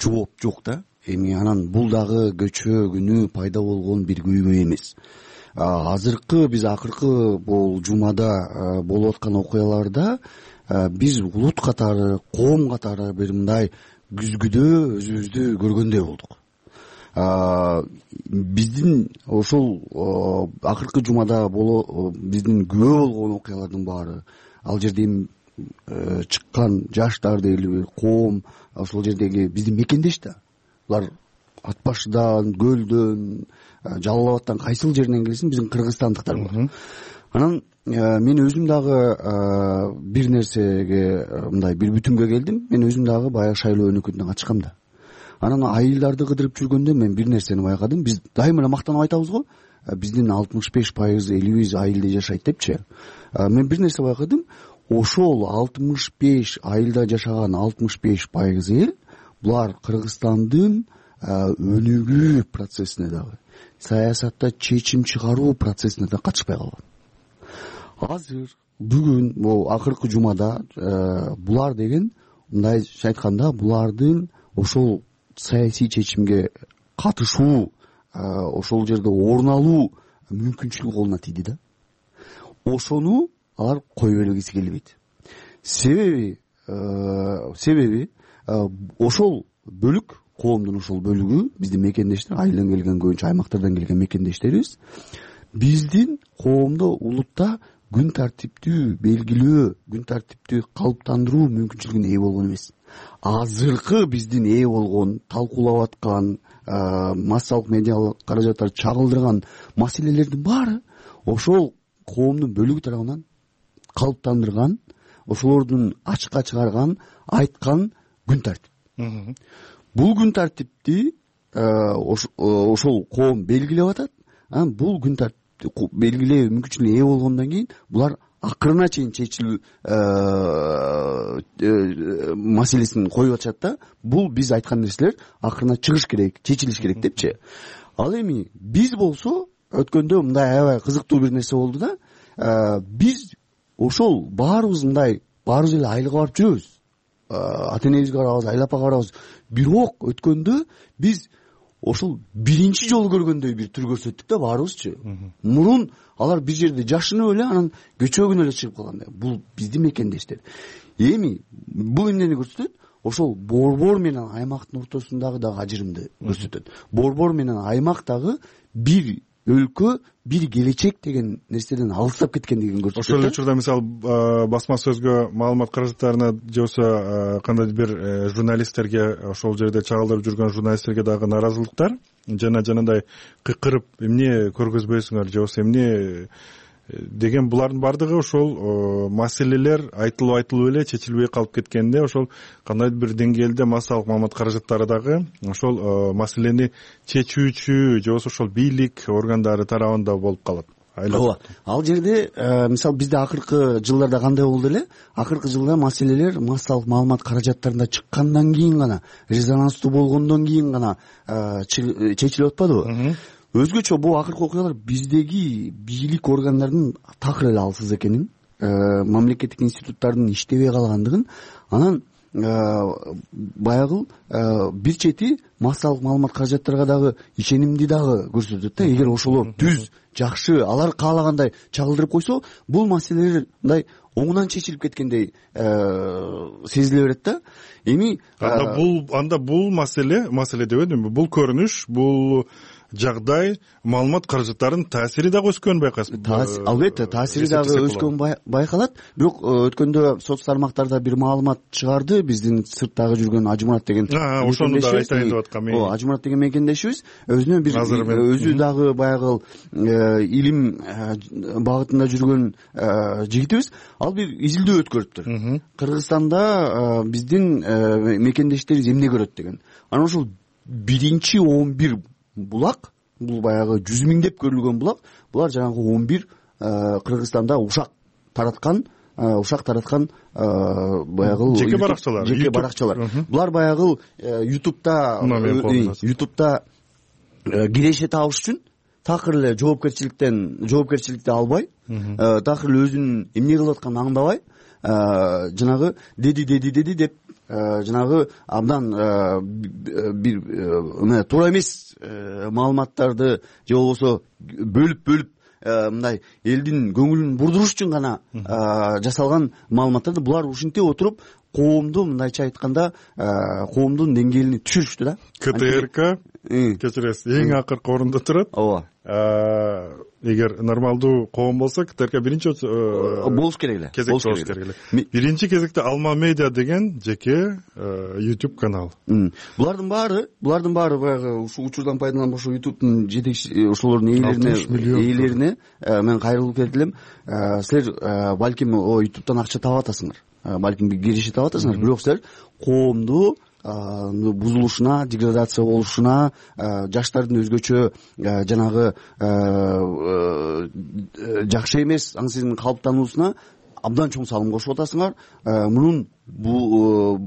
жооп жок да. Эми анан бул дагы көчө күнү пайда болгон бир көйгөй эмес. Азыркы биз акыркы бул жумада болуп аткан окуяларда биз улут катары, коом катары бир мындай күзгүдө өзүбүздү көргөндөй болдук. Биздин ошол акыркы жумада биздин күбө болгон окуялардын баары, ал жерден чыккан жаштар дейлиби, коом, ошол жердеги биздин мекендеш да. Булар ат башыдан, көлдөн, Жалал Абадтан кайсыл жеринен келсин, биздин кыргызстандыктар бар. Анан мен өзүм дагы бир нерсеге, мындай бир бүтүнгө келдим. Мен өзүм дагы баягы шайлоо өнөкөтүнөн качкам да. Анан айылдарды кыдырып жүргөндө мен бир нерсени байкадым. Биз дайыма эле мактанып айтабыз го, биздин алтымыш беш пайыз элибиз айылда жашайт депчи. Мен бир нерсе байкадым. Ошол алтымыш беш айылда жашаган алтымыш беш пайыз эл булар Кыргызстандын өнүгүү процессине дагы, саясатта чечим чыгаруу процессине да катышпай калган. Азыр бүгүн бул акыркы жумада булар деген, мындайча айтканда, булардын ошол саясий чечимге катышуу, ошол жерде орун алуу мүмкүнчүлүгү колуна тийди да. Ошону алар кое бергиси келбейт. Себеби себеби ошол бөлүк, коомдун ошол бөлүгү, биздин мекендештер, айылдан келген, көбүнчө аймактардан келген мекендештерибиз, биздин коомдо, улутта күн тартиптүү белгилөө, күн тартиптүү калыптандыруу мүмкүнчүлүгүнө ээ болгон эмес. Азыркы биздин ээ болгон, талкуулап аткан, массалык медиалык каражаттар чагылдырган маселелердин баары ошол коомдун бөлүгү тарабынан калыптандырган, ошолордун ачыкка чыгарган, айткан күн тартип. Бул күн тартипти ошол коом белгилеп атат. Анан бул күн тартипти белгилөө мүмкүнчүлүгүнө ээ болгондон кийин булар акырына чейин чечилүү маселесин коюп атышат да. Бул биз айткан нерселер акырына чыгыш керек, чечилиш керек депчи. Ал эми биз болсо өткөндө мындай аябай кызыктуу бир нерсе болду да. Биз ошол баарыбыз мындай, баарыбыз эле айылга барып жүрөбүз. Ата энебизге барабыз, айлапага барабыз. Бирок өткөндө биз ошол биринчи жолу көргөндөй бир түр көрсөттүк да баарыбызчы. Мурун алар бир жерде жашынып эле, анан көчөгүн эле чыгып калгандай. Бул биздин мекендештер. Эми бул эмнени көрсөтөт? Ошол борбор менен аймактын ортосундагы дагы ажырымды көрсөтөт. Борбор менен аймак дагы бир өлкө, бир келечек деген нерседен алыстап кеткендигин көрсөтөт. Ошол учурда мисалы басма сөзгө, маалымат каражаттарына же болбосо кандайдыр бир журналисттерге, ошол жерде чагылдырып жүргөн журналисттерге дагы наразылыктар, жана жанагындай кыйкырып эмне көргөзбөйсүңөр же болбосо эмне деген, булардын бардыгы ошол маселелер айтылып айтылып эле чечилбей калып кеткенде, ошол кандайдыр бир деңгээлде массалык маалымат каражаттары дагы ошол маселени чечүүчү же болбосо ошол бийлик органдары тарабында болуп калат. Ооба. Ал жерде мисалы бизде акыркы жылдарда кандай болду эле? Акыркы жылда маселелер массалык маалымат каражаттарында чыккандан кийин гана, резонанстуу болгондон кийин гана чечилип атпадыбы? Өзгөчө бул акыркы окуялар биздеги бийлик органдарынын такыр эле алсыз экенин, мамлекеттик институттардын иштебей калгандыгын, анан баягы бир чети массалык маалымат каражаттарга дагы ишенимди дагы көрсөтөт да. Эгер ошолор түз, жакшы, алар каалагандай чагылдырып койсо, бул маселелер мындай оңунан чечилип кеткендей сезиле берет да. Эми анда бул анда бул маселе, маселе дебедимби? Бул көрүнүш, бул жагдай маалымат каражаттарынын таасири дагы өскөнүн байкайсызбы? Албетте таасири дагы өскөнү байкалат. Бирок өткөндө соц тармактарда бир маалымат чыгарды биздин сырттагы жүргөн Ажымурат деген ошону да айтайын деп аткам. Ооба, Ажымурат деген мекендешибиз өзүнө бир өзү дагы баягы илим багытында жүргөн жигитибиз. Ал бир изилдөө өткөрүптүр. Кыргызстанда биздин мекендештерибиз эмне көрөт деген. Анан ошол биринчи он бир булак, бул баягы жүз миңдеп көрүлгөн булак, булар жанагы он бир Кыргызстанда ушак тараткан ушак тараткан баягы жеке баракчалар. Жеке баракчалар. Булар баягы ютубта ютубта киреше табыш үчүн такыр эле жоопкерчиликтен жоопкерчиликти албай, такыр эле өзүнүн эмне кылып атканын аңдабай, жанагы деди деди деди деп жанагы абдан бир эмне туура эмес маалыматтарды же болбосо бөлүп бөлүп мындай элдин көңүлүн бурдуруш үчүн гана жасалган маалыматтарды булар ушинтип отуруп коомду мындайча айтканда коомдун деңгээлине түшүрүштү да. КТРК кечиресиз эң акыркы орунда турат. Ооба. Эгер нормалдуу коом болсо КТРК биринчи болуш керек эле. Болуш керек эле. Биринчи кезекте Алма Медиа деген жеке YouTube канал. Булардын баары, булардын баары баягы ушул учурдан пайдаланып ошо YouTube'дун жетекчи ошолордун ээлерине ээлерине мен кайрылып келдим. Силер балким о YouTube'дан акча таап атасыңар. Балким бир киреше таап атасыңар, бирок силер коомду бузулушуна, деградация болушуна, жаштардын өзгөчө жанагы жакшы эмес аң сезимдин калыптануусуна абдан чоң салым кошуп атасыңар. Мунун бул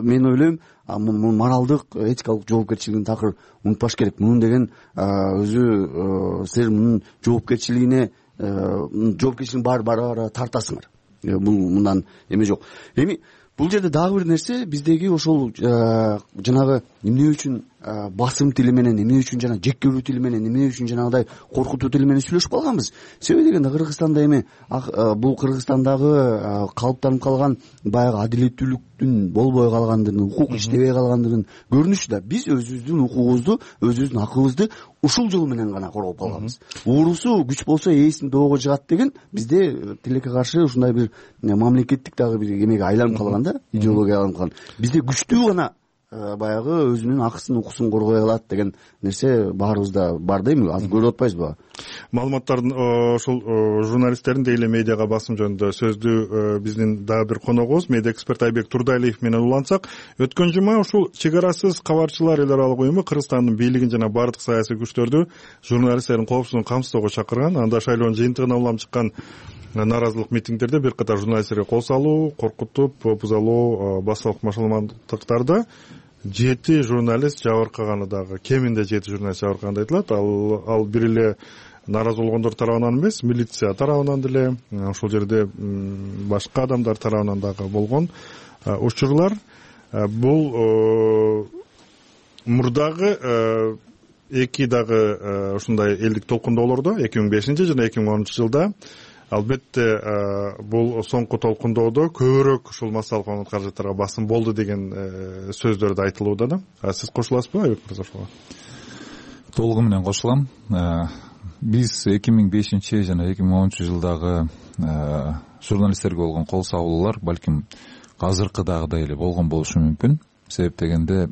мен ойлойм, мунун моралдык, этикалык жоопкерчилигин такыр унутпаш керек. Мунун деген өзү силер мунун жоопкерчилигине жоопкерчилигин баары баары тартасыңар. Бул мындан эме жок. Эми бул жерде дагы бир нерсе, биздеги ошол жанагы эмне үчүн басым тили менен, эмне үчүн жана жек көрүү тили менен, эмне үчүн жанагыдай коркутуу тили менен сүйлөшүп калганбыз. Себеби дегенде Кыргызстанда эми бул Кыргызстандагы калыптанып калган баягы адилеттүүлүктүн болбой калгандыгын, укук иштебей калгандыгын көрүнүшү да. Биз өзүбүздүн укугубузду, өзүбүздүн акыбызды ушул жол менен гана коргоп калганбыз. Уурусу күч болсо ээсин доого жыгат деген бизде тилекке каршы ушундай бир мамлекеттик дагы бир эмеге айланып калган да, идеологияга айланып калган. Бизде күчтүү гана баягы өзүнүн акысын укусун коргой алат деген нерсе баарыбызда бар да. Эми азыр көрүп атпайсызбы? Маалыматтардын ошол журналисттердин дейле медиага басым жөнүндө сөздү биздин дагы бир коногубуз медиа эксперт Айбек Турдайлиев менен улантсак, өткөн жума ушул чек арасыз кабарчылар эл аралык уюму Кыргызстандын бийлигин жана бардык саясий күчтөрдү журналисттердин коопсуздугун камсыздоого чакырган. Анда шайлоонун жыйынтыгына улам чыккан нааразылык митингдерде бир катар журналисттерге кол салуу, коркутуп, бузалуу, басылык машыгымдыктарда жети журналист жабыркаганы дагы, кеминде жети журналист жабыркаганы айтылат. Ал ал бир эле нааразы болгондор тарабынан эмес, милиция тарабынан деле, ошол жерде башка адамдар тарабынан дагы болгон учурлар. Бул мурдагы эки дагы ушундай элдик толкундоолордо эки миң бешинчи жана эки миң онунчу жылда албетте бул соңку толкундоодо көбүрөөк ушул массалык маалымат каражаттарга басым болду деген сөздөр да айтылууда да. Сиз кошуласызбы Айбек мырза ошого? Толугу менен кошулам. Биз эки миң бешинчи жана эки миң онунчу жылдагы журналисттерге болгон кол салуулар балким азыркыдагыдай эле болгон болушу мүмкүн. Себеп дегенде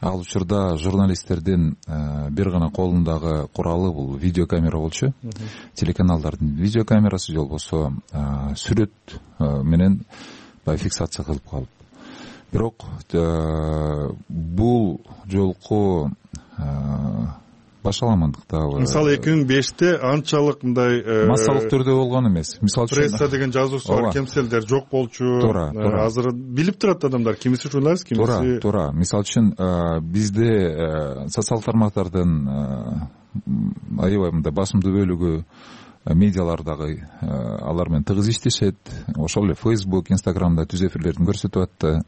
ал учурда журналисттердин бир гана колундагы куралы бул видеокамера болчу. Телеканалдардын видеокамерасы же болбосо сүрөт менен баягы фиксация кылып калып. Бирок бул жолку башаламандыктабы. Мисалы эки миң беште анчалык мындай массалык түрдө болгон эмес. Мисалы үчүн пресса деген жазуучу бар, кемселдер жок болчу. Азыр билип турат адамдар, кимиси журналист, кимиси. Туура, туура. Мисалы үчүн бизде социалдык тармактардын аябай мындай басымдуу бөлүгү медиалардагы алар менен тыгыз иштешет. Ошол эле Facebook, Instagramда түз эфирлерин көрсөтүп атты.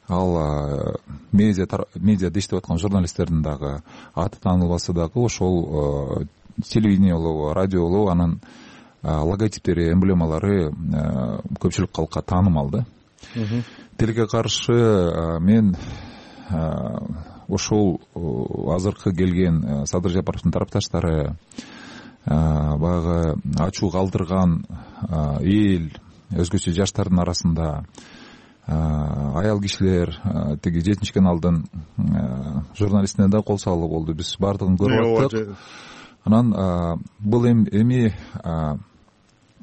Ал медиа медиада иштеп аткан журналисттердин дагы аты таанылбаса дагы ошол телевидение болобу, радио болобу, анын логотиптери, эмблемалары көпчүлүк калкка таанымал да. Тилге каршы мен ошол азыркы келген Садыр Жапаровдун тарапташтары, баягы ачуу калтырган эл, өзгөчө жаштардын арасында аял кишилер, тиги жетинчи каналдын журналистине да кол салуу болду. Биз баардыгын көрүп аттык. Анан бул эми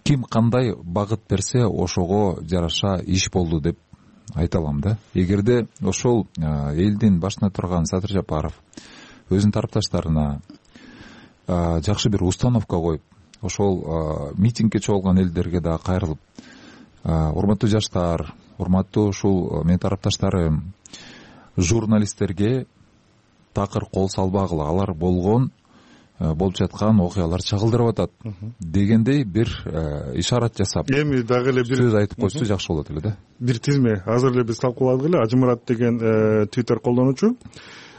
ким кандай багыт берсе ошого жараша иш болду деп айта алам да. Эгерде ошол элдин башына турган Садыр Жапаров өзүнүн тарапташтарына жакшы бир установка коюп, ошол митингге чогулган элдерге да кайрылып, урматтуу жаштар, урматтуу ушул менин тарапташтарым, журналисттерге такыр кол салбагыла, алар болгон болуп жаткан окуялар чагылдырып атат дегендей бир ишарат жасап, эми дагы эле бир сөз айтып койсо жакшы болот эле да. Бир тизме азыр эле биз талкууладык эле. Ажымурат деген Twitter колдонуучу,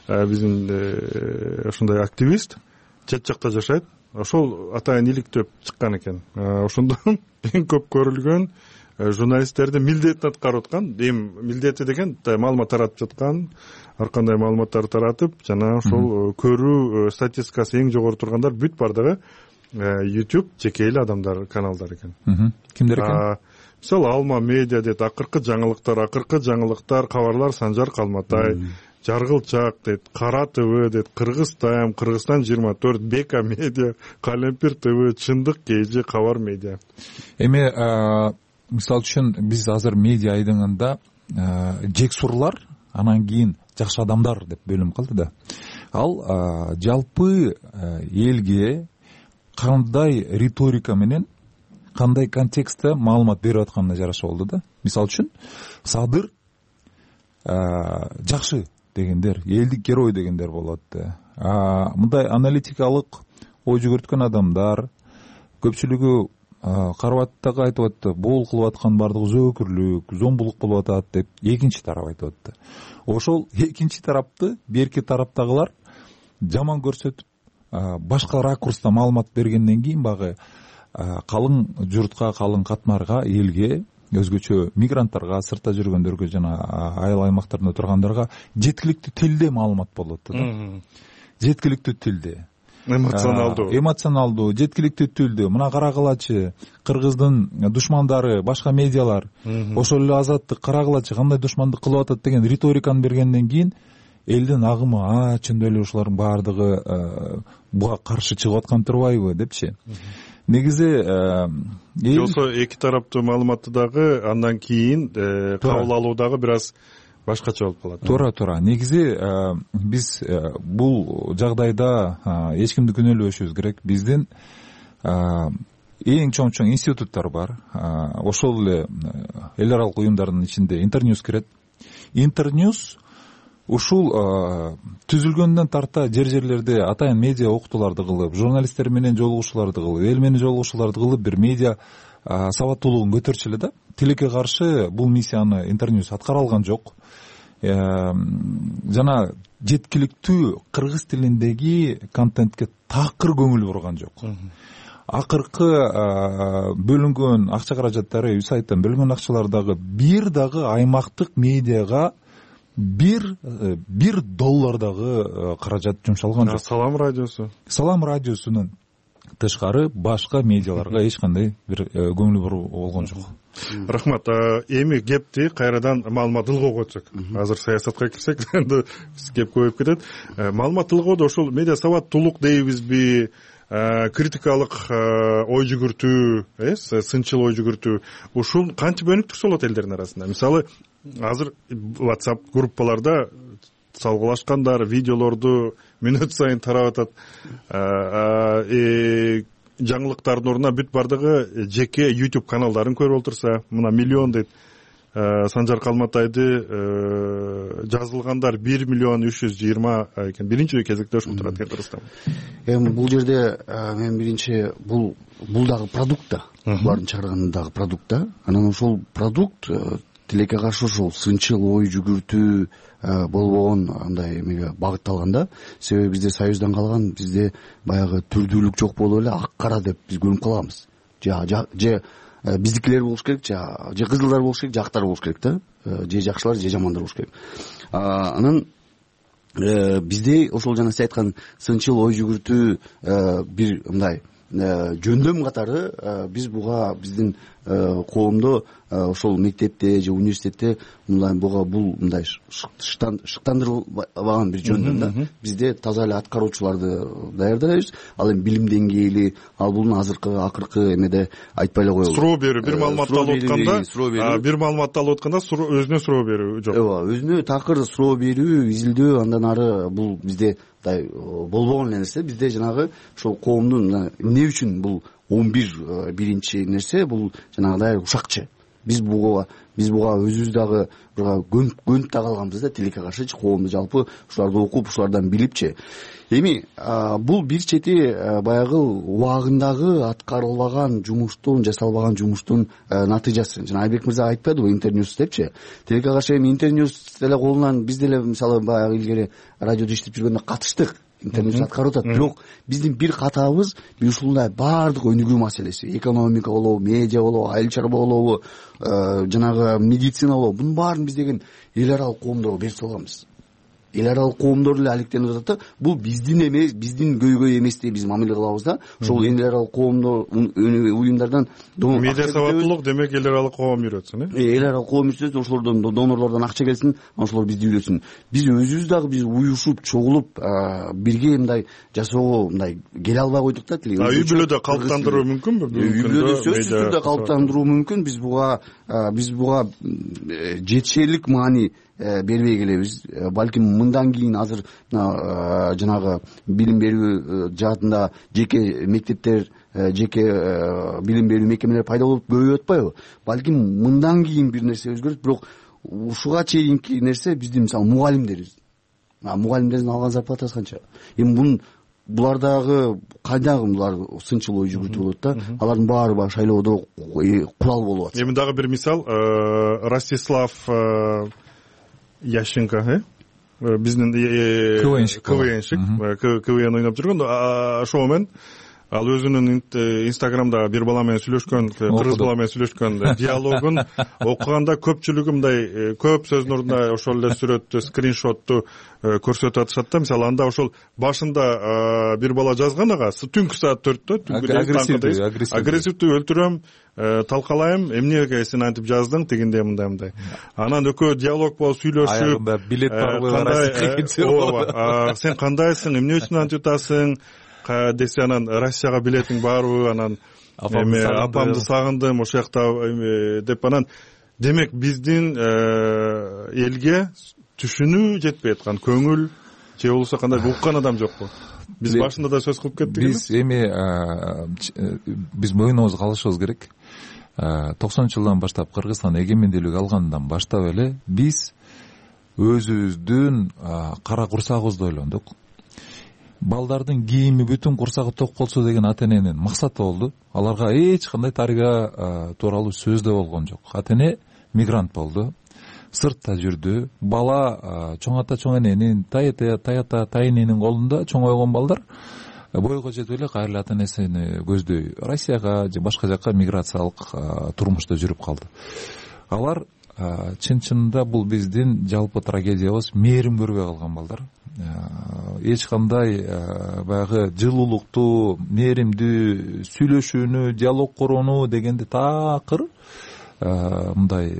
биздин ушундай активист, чет жакта жашайт. Ошол атайын иликтөп чыккан экен. Ошондон эң көп көрүлгөн журналисттердин милдетин аткарып аткан, эми милдети деген маалымат таратып жаткан, ар кандай маалыматтарды таратып, жана ошол көрүү статистикасы эң жогору тургандар бүт бардыгы YouTube жеке эле адамдар каналдар экен. Кимдер экен? Мисалы Алма медиа дейт, акыркы жаңылыктар, акыркы жаңылыктар, кабарлар Санжар Калматай, Жаргылчак дейт, Кара ТВ дейт, Кыргыз Тайм, Кыргызстан жыйырма төрт, Бека медиа, Калемпир ТВ, Чындык Кежи, Кабар медиа. Эми мисалы үчүн биз азыр медиа айдыңында жексурлар, анан кийин жакшы адамдар деп бөлүнүп калды да. Ал жалпы элге кандай риторика менен, кандай контекстте маалымат берип атканына жараша болду да. Мисалы үчүн Садыр жакшы дегендер, элдик герой дегендер болот. Мындай аналитикалык ой жүгүрткөн адамдар көпчүлүгү карабаттагы айтып атты, боол кылып аткан бардыгы зөөкүрлүк, зомбулук болуп атат деп экинчи тарап айтып атты. Ошол экинчи тарапты берки тараптагылар жаман көрсөтүп, башка ракурста маалымат бергенден кийин багы калың журтка, калың катмарга, элге, өзгөчө мигранттарга, сыртта жүргөндөргө жана айыл аймактарында тургандарга жеткиликтүү тилде маалымат болот да. Жеткиликтүү тилде. Эмоционалдуу. Эмоционалдуу, жеткиликтүү тилде. Мына карагылачы, Кыргыздын душмандары, башка медиалар, ошол эле Азаттык карагылачы кандай душмандык кылып атат деген риториканы бергенден кийин элдин агымы, а, чындап эле ушулардын баардыгы буга каршы чыгып аткан турбайбы депчи. Негизи жолсо эки тараптуу маалыматты дагы андан кийин кабыл алуу дагы бир аз башкача болуп калат. Туура, туура. Негизи биз бул жагдайда эч кимди күнөөлөбөшүбүз керек. Биздин эң чоң-чоң институттар бар. Ошол эле эл аралык уюмдардын ичинде Интерньюз кирет. Интерньюз ушул түзүлгөндөн тарта жер-жерлерде атайын медиа окутууларды кылып, журналисттер менен жолугушууларды кылып, эл менен жолугушууларды кылып, бир медиа сабаттуулугун көтөрчү эле да. Тилекке каршы бул миссияны Интерньюз аткара алган жок. Жана жеткиликтүү кыргыз тилиндеги контентке такыр көңүл бурган жок. Акыркы бөлүнгөн акча каражаттары, үй сайттан бөлүнгөн акчалар дагы бир дагы аймактык медиага бир бир доллар дагы каражат жумшалган жок. Салам радиосу. Салам радиосунун тышкары башка медиаларга эч кандай бир көңүл буруу болгон жок. Рахмат. Эми кепти кайрадан маалымат тылгоо койсок. Азыр саясатка кирсек, биз кеп көбөйүп кетет. Маалымат тылгоодо ошол медиа сабаттуулук дейбизби, критикалык ой жүгүртүү, э, сынчыл ой жүгүртүү, ушул кантип өнүктүрсө болот элдердин арасында? Мисалы, азыр WhatsApp группаларда салгылашкандар видеолорду мүнөт сайын тарап атат. Жаңылыктардын ордуна бүт бардыгы жеке YouTube каналдарын көрүп отурса, мына миллион дейт. Санжар Калматайды жазылгандар бир миллион үч жүз жыйырма экен. Биринчи кезекте ошол турат экен Кыргызстан. Эми бул жерде мен биринчи бул бул дагы продукт да. Булардын чыгарганы дагы продукт да. Анан ошол продукт тилекке каршы ошол сынчыл ой жүгүртүү болбогон андай эмеге багытталган да. Себеби бизде союздан калган, бизде баягы түрдүүлүк жок болуп эле ак кара деп биз көрүнүп калганбыз. Же же биздикилер болуш керек, же же кызылдар болуш керек, же актар болуш керек да. Же жакшылар, же жамандар болуш керек. Анан бизде ошол жана сиз айткан сынчыл ой жүгүртүү бир мындай жөндөм катары биз буга биздин коомдо ошол мектепте же университетте мындай буга бул мындай шыктандырылбаган бир жөндөм да. Бизде таза эле аткаруучуларды даярдайбыз. Ал эми билим деңгээли, ал бул азыркы акыркы эмеде айтпай эле коелу. Суроо берүү, бир маалыматты алып атканда, бир маалыматты алып атканда өзүнө суроо берүү жок. Ооба, өзүнө такыр суроо берүү, изилдөө, андан ары бул бизде болбогон нерсе. Бизде жанагы ошол коомдун эмне үчүн бул он бир биринчи нерсе бул жанагыдай ушакчы. Биз буга биз буга өзүбүз дагы көнүп да калганбыз да тилекке каршычы, коомду жалпы ушуларды окуп, ушулардан билипчи. Эми бул бир чети баягы убагындагы аткарылбаган жумуштун, жасалбаган жумуштун натыйжасы. Жана Айбек мырза айтпадыбы Интерньюс депчи. Тилекке каршы эми Интерньюс деле колунан биз деле мисалы баягы илгери радиодо иштеп жүргөндө катыштык. Интернет аткарып атат. Бирок биздин бир катабыз бир ушундай баардык өнүгүү маселеси, экономика болобу, медиа болобу, айыл чарба болобу, жанагы медицина болобу, бунун баарын биз деген эл аралык коомдорго берип салганбыз. Эл аралык коомдор эле алектенип атат да. Бул биздин эмес, биздин көйгөй эместей биз мамиле кылабыз да. Ошол эл аралык коомдор уюмдардан медиа сабаттуулук демек эл аралык коом үйрөтсүн, э? Эл аралык коом үйрөтсүн, ошолордон донорлордон акча келсин, ошолор бизди үйрөтсүн. Биз өзүбүз дагы биз уюшуп, чогулуп, бирге мындай жасоого мындай келе албай койдук да. Үй бүлөдө калыптандыруу мүмкүнбү? Үй бүлөдө сөзсүз түрдө калыптандыруу мүмкүн. Биз буга биз буга жетишерлик маани бербей келебиз. Балким мындан кийин азыр жанагы билим берүү жаатында жеке мектептер, жеке билим берүү мекемелери пайда болуп көбөйүп атпайбы? Балким мындан кийин бир нерсе өзгөрөт, бирок ушуга чейинки нерсе биздин мисалы мугалимдерибиз. Мугалимдердин алган зарплатасы канча? Эми бун булардагы кайдагы булар сынчыл ой жүгүртүү болот да. Алардын баары баягы шайлоодо курал болуп атат. Эми дагы бир мисал, Ростислав Ященко, э? Биздин КВНщик, КВНщик, КВН ойноп жүргөн. Ошол менен ал өзүнүн Инстаграмда бир бала менен сүйлөшкөн, кыргыз бала менен сүйлөшкөн диалогун окуганда көпчүлүгү мындай көп сөздүн ордуна ошол эле сүрөттү, скриншотту көрсөтүп атышат да. Мисалы анда ошол башында бир бала жазган ага түнкү саат төрттө түнкү агрессивдүү өлтүрөм, талкалайм, эмнеге сен антип жаздың, тигиндей мындай мындай. Анан экөө диалог болуп сүйлөшүп, аягында билет бар, сен кандайсың, эмне үчүн антип атасың десе, анан Россияга билетиң барбы, анан апамды сагындым ошол жакта деп, анан демек биздин элге түшүнүү жетпей аткан, көңүл же болбосо кандай уккан адам жокпу? Биз башында да сөз кылып кеттик. Биз эми биз мойнубузга алышыбыз керек. токсонунчу жылдан баштап Кыргызстан эгемендүүлүк алгандан баштап эле биз өзүбүздүн кара курсагыбызды ойлондук. Балдардын кийими бүтүн курсагы ток болсо деген ата эненин максаты болду. Аларга эч кандай тарбия тууралуу сөз да болгон жок. Ата эне мигрант болду, сыртта жүрдү. Бала чоң ата чоң эненин, тай ата тай ата тай эненин колунда чоңойгон балдар бойго жетип эле кайра ата энесини көздөй Россияга же башка жакка миграциялык турмушта жүрүп калды. Алар чын-чынында бул биздин жалпы трагедиябыз, мээрим көрбөй калган балдар. Эч кандай баягы жылуулукту, мээримдүү сүйлөшүүнү, диалог курууну дегенди такыр мындай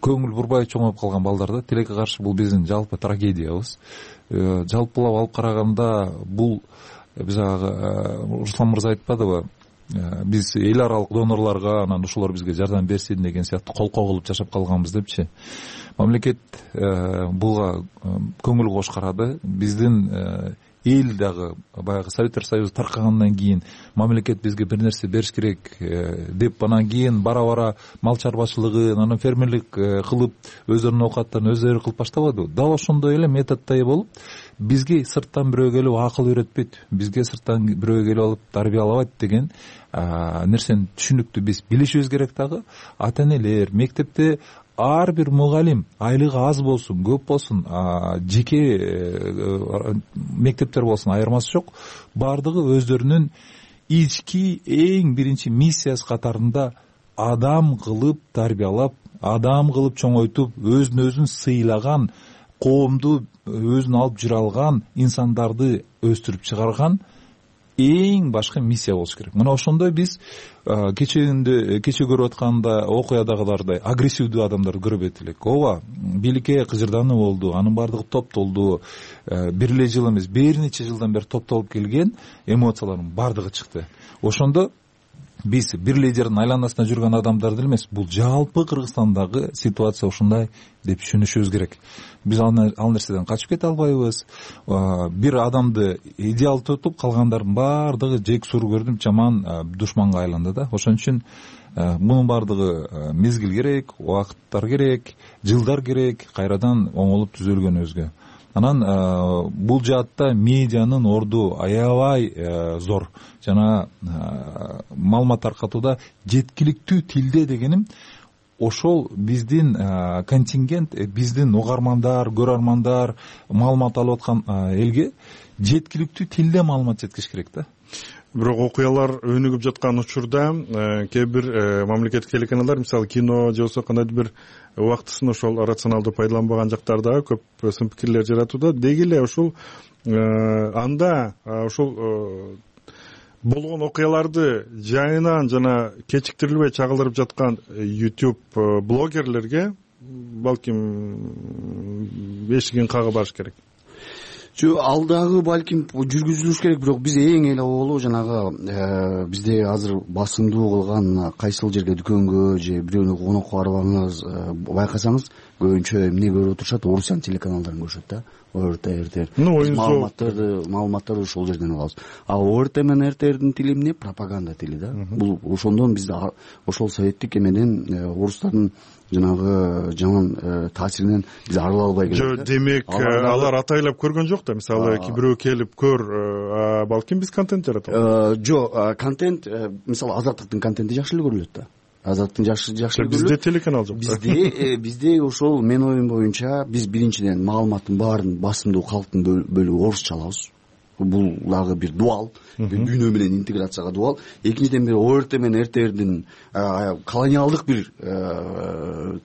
көңүл бурбай чоңоюп калган балдар да. Тилекке каршы бул биздин жалпы трагедиябыз. Жалпылап алып караганда бул биз Руслан мырза айтпадыбы, биз эл аралык донорлорго анан ушулар бизге жардам берсин деген сыяктуу колкоо кылып жашап калганбыз депчи. Мамлекет буга көңүл кош карады. Биздин эл дагы баягы Советтер Союзу таркагандан кийин мамлекет бизге бир нерсе бериш керек деп, анан кийин бара-бара мал чарбачылыгын, анан фермерлик кылып өздөрүнүн оокаттарын өздөрү кылып баштабадыбы? Дал ошондой эле методдой болуп бизге сырттан бирөө келип акыл үйрөтпөйт, бизге сырттан бирөө келип алып тарбиялабайт деген нерсени түшүнүктүү биз билишибиз керек. Дагы ата энелер, мектепте ар бир мугалим айлыгы аз болсун, көп болсун, жеке мектептер болсун, айырмасы жок, баардыгы өздөрүнүн ички эң биринчи миссиясы катарында адам кылып тарбиялап, адам кылып чоңойтуп, өзүн өзүн сыйлаган, коомду өзүн алып жүрө алган инсандарды өстүрүп чыгарган эң башкы миссия болуш керек. Мына ошондой биз кечээндө кечээ көрүп атканда окуядагылардай агрессивдүү адамдарды көрбөйт элек. Ооба, бийликке кыжырдануу болду, анын баардыгы топтолду. Бир эле жыл эмес, бир нече жылдан бери топтолуп келген эмоциялардын баардыгы чыкты. Ошондо биз бир лидердин айланасында жүргөн адамдар деле эмес, бул жалпы Кыргызстандагы ситуация ушундай деп түшүнүшүбүз керек. Биз ал нерседен качып кете албайбыз. Бир адамды идеал тутуп, калгандардын баардыгы жек сүргөрдүп жаман душманга айланды да. Ошон үчүн мунун баардыгы мезгил керек, убакыттар керек, жылдар керек, кайрадан оңолуп түзөлгөнүбүзгө. Анан бул жаатта медианын орду аябай зор. Жана маалымат таркатууда жеткиликтүү тилде дегеним ошол биздин контингент, биздин угармандар, көрөрмандар маалымат алып аткан элге жеткиликтүү тилде маалымат жеткириш керек да. Бирок окуялар өнүгүп жаткан учурда кээ бир мамлекеттик телеканалдар, мисалы кино же болбосо кандайдыр бир убактысын ошол рационалдуу пайдаланбаган жактар дагы көп сын пикирлер жаратууда. Деги эле ошол анда ошол болгон окуяларды жайынан жана кечиктирилбей чагылдырып жаткан YouTube блогерлерге балким эшигин кагып барыш керек. Жо, ал дагы балким жүргүзүлүш керек, бирок биз эң эле болу жанагы бизде азыр басымдуу кылган кайсыл жерге дүкөнгө же бирөөнү конокко барбаңыз, байкасаңыз көбүнчө эмне көрүп отурушат, орусиянын телеканалдарын көрүшөт да. ОРТ, РТР. Маалыматтарды, маалыматтарды ошол жерден алабыз. А ОРТ менен РТРдин тили эмне? Пропаганда тили да. Бул ошондон биз ошол советтик эмеден орустардын жанагы жаман таасиринен биз арыла албай келебиз. Жо, демек алар атайлап көргөн жок да. Мисалы бирөө келип көр, балким биз контент жаратабыз. Жо, контент, мисалы Азаттыктын контенти жакшы эле көрүлөт да. Азаттын жакшы жакшы эле көрүлөт. Бизде телеканал жок. Бизде бизде ошол менин оюм боюнча биз биринчиден маалыматтын баарын басымдуу калктын бөлүгү орусча алабыз. Бул дагы бир дуал, дүйнө менен интеграцияга дуал. Экинчиден бир ОРТ менен РТРдин колониалдык бир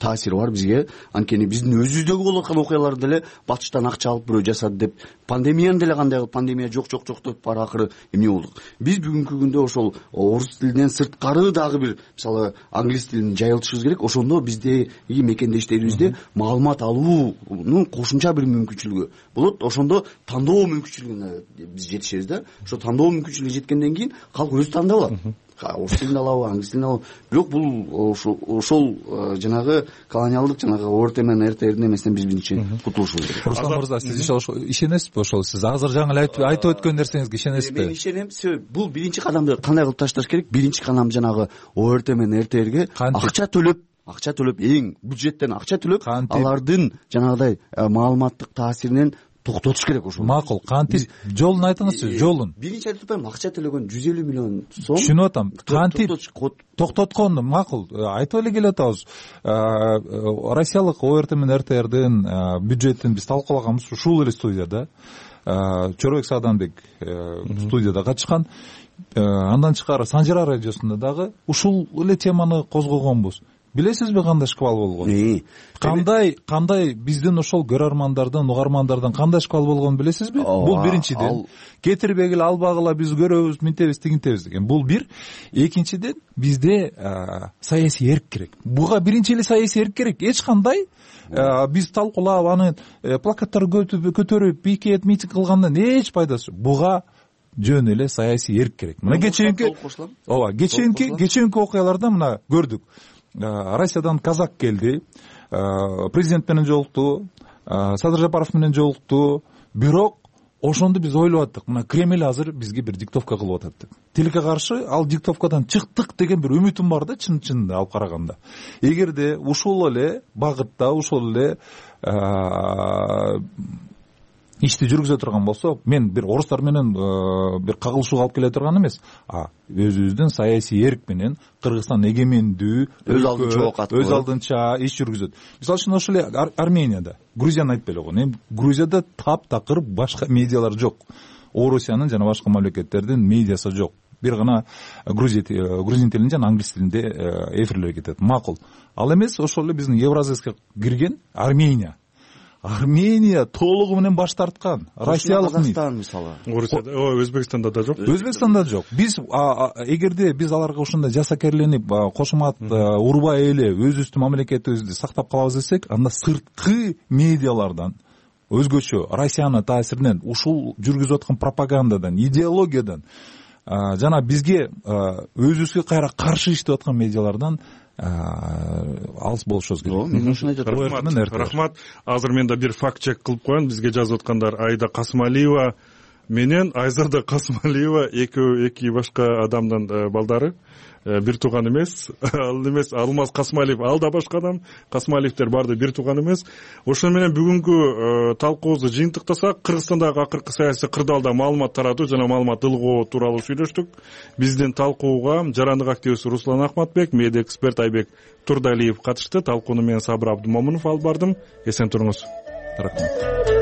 таасири бар бизге. Анткени биздин өзүбүздөгү болуп аткан окуяларды деле батыштан акча алып бирөө жасады деп, пандемияны деле кандай кылып пандемия жок жок жок деп бара акыры эмне болдук. Биз бүгүнкү күндө ошол орус тилинен сырткары дагы бир, мисалы англис тилин жайылтышыбыз керек. Ошондо биздеги мекендештерибизде маалымат алуунун кошумча бир мүмкүнчүлүгү болот. Ошондо тандоо мүмкүнчүлүгүнө биз жетишебиз да. Ошо тандоо мүмкүнчүлүгү жеткенден кийин калк өзү тандап алат. Орус тилин алабы, англис тилин алабы. Бирок бул ошол жанагы колониалдык жанагы ОРТ менен РТРдин эмесинен биз биринчи кутулушубуз керек. Руслан мырза, сиз ишенесизби ошол? Сиз азыр жаңы айтып өткөн нерсеңизге ишенесизби? Мен ишенем. Бул биринчи кадамды кандай кылып ташташ керек? Биринчи кадам жанагы ОРТ менен РТРге акча төлөп, акча төлөп, эң бюджеттен акча төлөп, алардын жанагыдай маалыматтык таасиринен токтотуш керек ошол. Макул, кантип жолун айтыңызчы, жолун. Биринчи айтып атпаймынбы, акча төлөгөн жүз элүү миллион сом. Түшүнүп атам. Кантип токтотконду макул айтып эле келе атабыз. Россиялык ОРТ менен РТРдин бюджетин биз талкуулаганбыз ушул эле студияда. Чорбек Сааданбек студияда катышкан. Андан тышкары Санжара радиосунда дагы ушул эле теманы козгогонбуз. Билесизби кандай шквал болгон? Кандай кандай биздин ошол көрөрмандардын, угармандардын кандай шквал болгонун билесизби? Бул биринчиден. Кетирбегиле, албагыла биз көрөбүз, минтебиз, тигинтебиз деген. Бул бир. Экинчиден бизде саясий эрк керек. Буга биринчи эле саясий эрк керек. Эч кандай биз талкуулап, аны плакаттарды көтөрүп, пикет, митинг кылгандан эч пайдасы жок. Буга жөн эле саясий эрк керек. Мына кечээинки, ооба, кечээинки кечээинки окуяларда мына көрдүк. Россиядан казак келди, президент менен жолукту, Садыр Жапаров менен жолукту, бирок ошондо биз ойлоп аттык, мына Кремль азыр бизге бир диктовка кылып атат деп. Тилекке каршы ал диктовкадан чыктык деген бир үмүтүм бар да, чын-чынында алып караганда. Эгерде ушул эле багытта, ушул эле ишти жүргүзө турган болсо, мен бир орустар менен бир кагылышууга алып келе турган эмес, а өзүбүздүн саясий эрк менен Кыргызстан эгемендүү, өз алдынча өз алдынча иш жүргүзөт. Мисалы үчүн ошол эле Арменияда, Грузияны айтып эле койгон. Эми Грузияда таптакыр башка медиалар жок. Орусиянын жана башка мамлекеттердин медиасы жок. Бир гана грузин тилинде жана англис тилинде эфирлер кетет. Макул. Ал эмес ошол эле биздин Евразияга кирген Армения. Армения толугу менен баш тарткан. Россиялык Казакстан мисалы. Орусияда, Өзбекстанда да жок. Өзбекстанда жок. Биз эгерде биз аларга ушундай жасакерленип, кошумат урбай эле өзүбүздүн мамлекетибизди сактап калабыз десек, анда сырткы медиалардан өзгөчө Россиянын таасиринен, ушул жүргүзүп аткан пропагандадан, идеологиядан жана бизге өзүбүзгө кайра каршы иштеп аткан медиалардан алыс болушубуз керек. Мен ушуну айтып атам. Рахмат. Азыр мен да бир факт чек кылып коеюн. Бизге жазып аткандар Айда Касымалиева менен Айзада Касымалиева экөө эки башка адамдын балдары. Бир тууган эмес, ал эмес Алмаз Касымалиев, ал да башка адам. Касымалиевдер баарды бир тууган эмес. Ошону менен бүгүнкү талкуубузду жыйынтыктасак, Кыргызстандагы акыркы саясий кырдаалда маалымат таратуу жана маалымат ылгоо тууралуу сүйлөштүк. Биздин талкууга жарандык активист Руслан Ахматбек, медиа эксперт Айбек Турдалиев катышты. Талкууну мен Сабыр Абдымомунов алып бардым. Эсен туруңуз. Рахмат.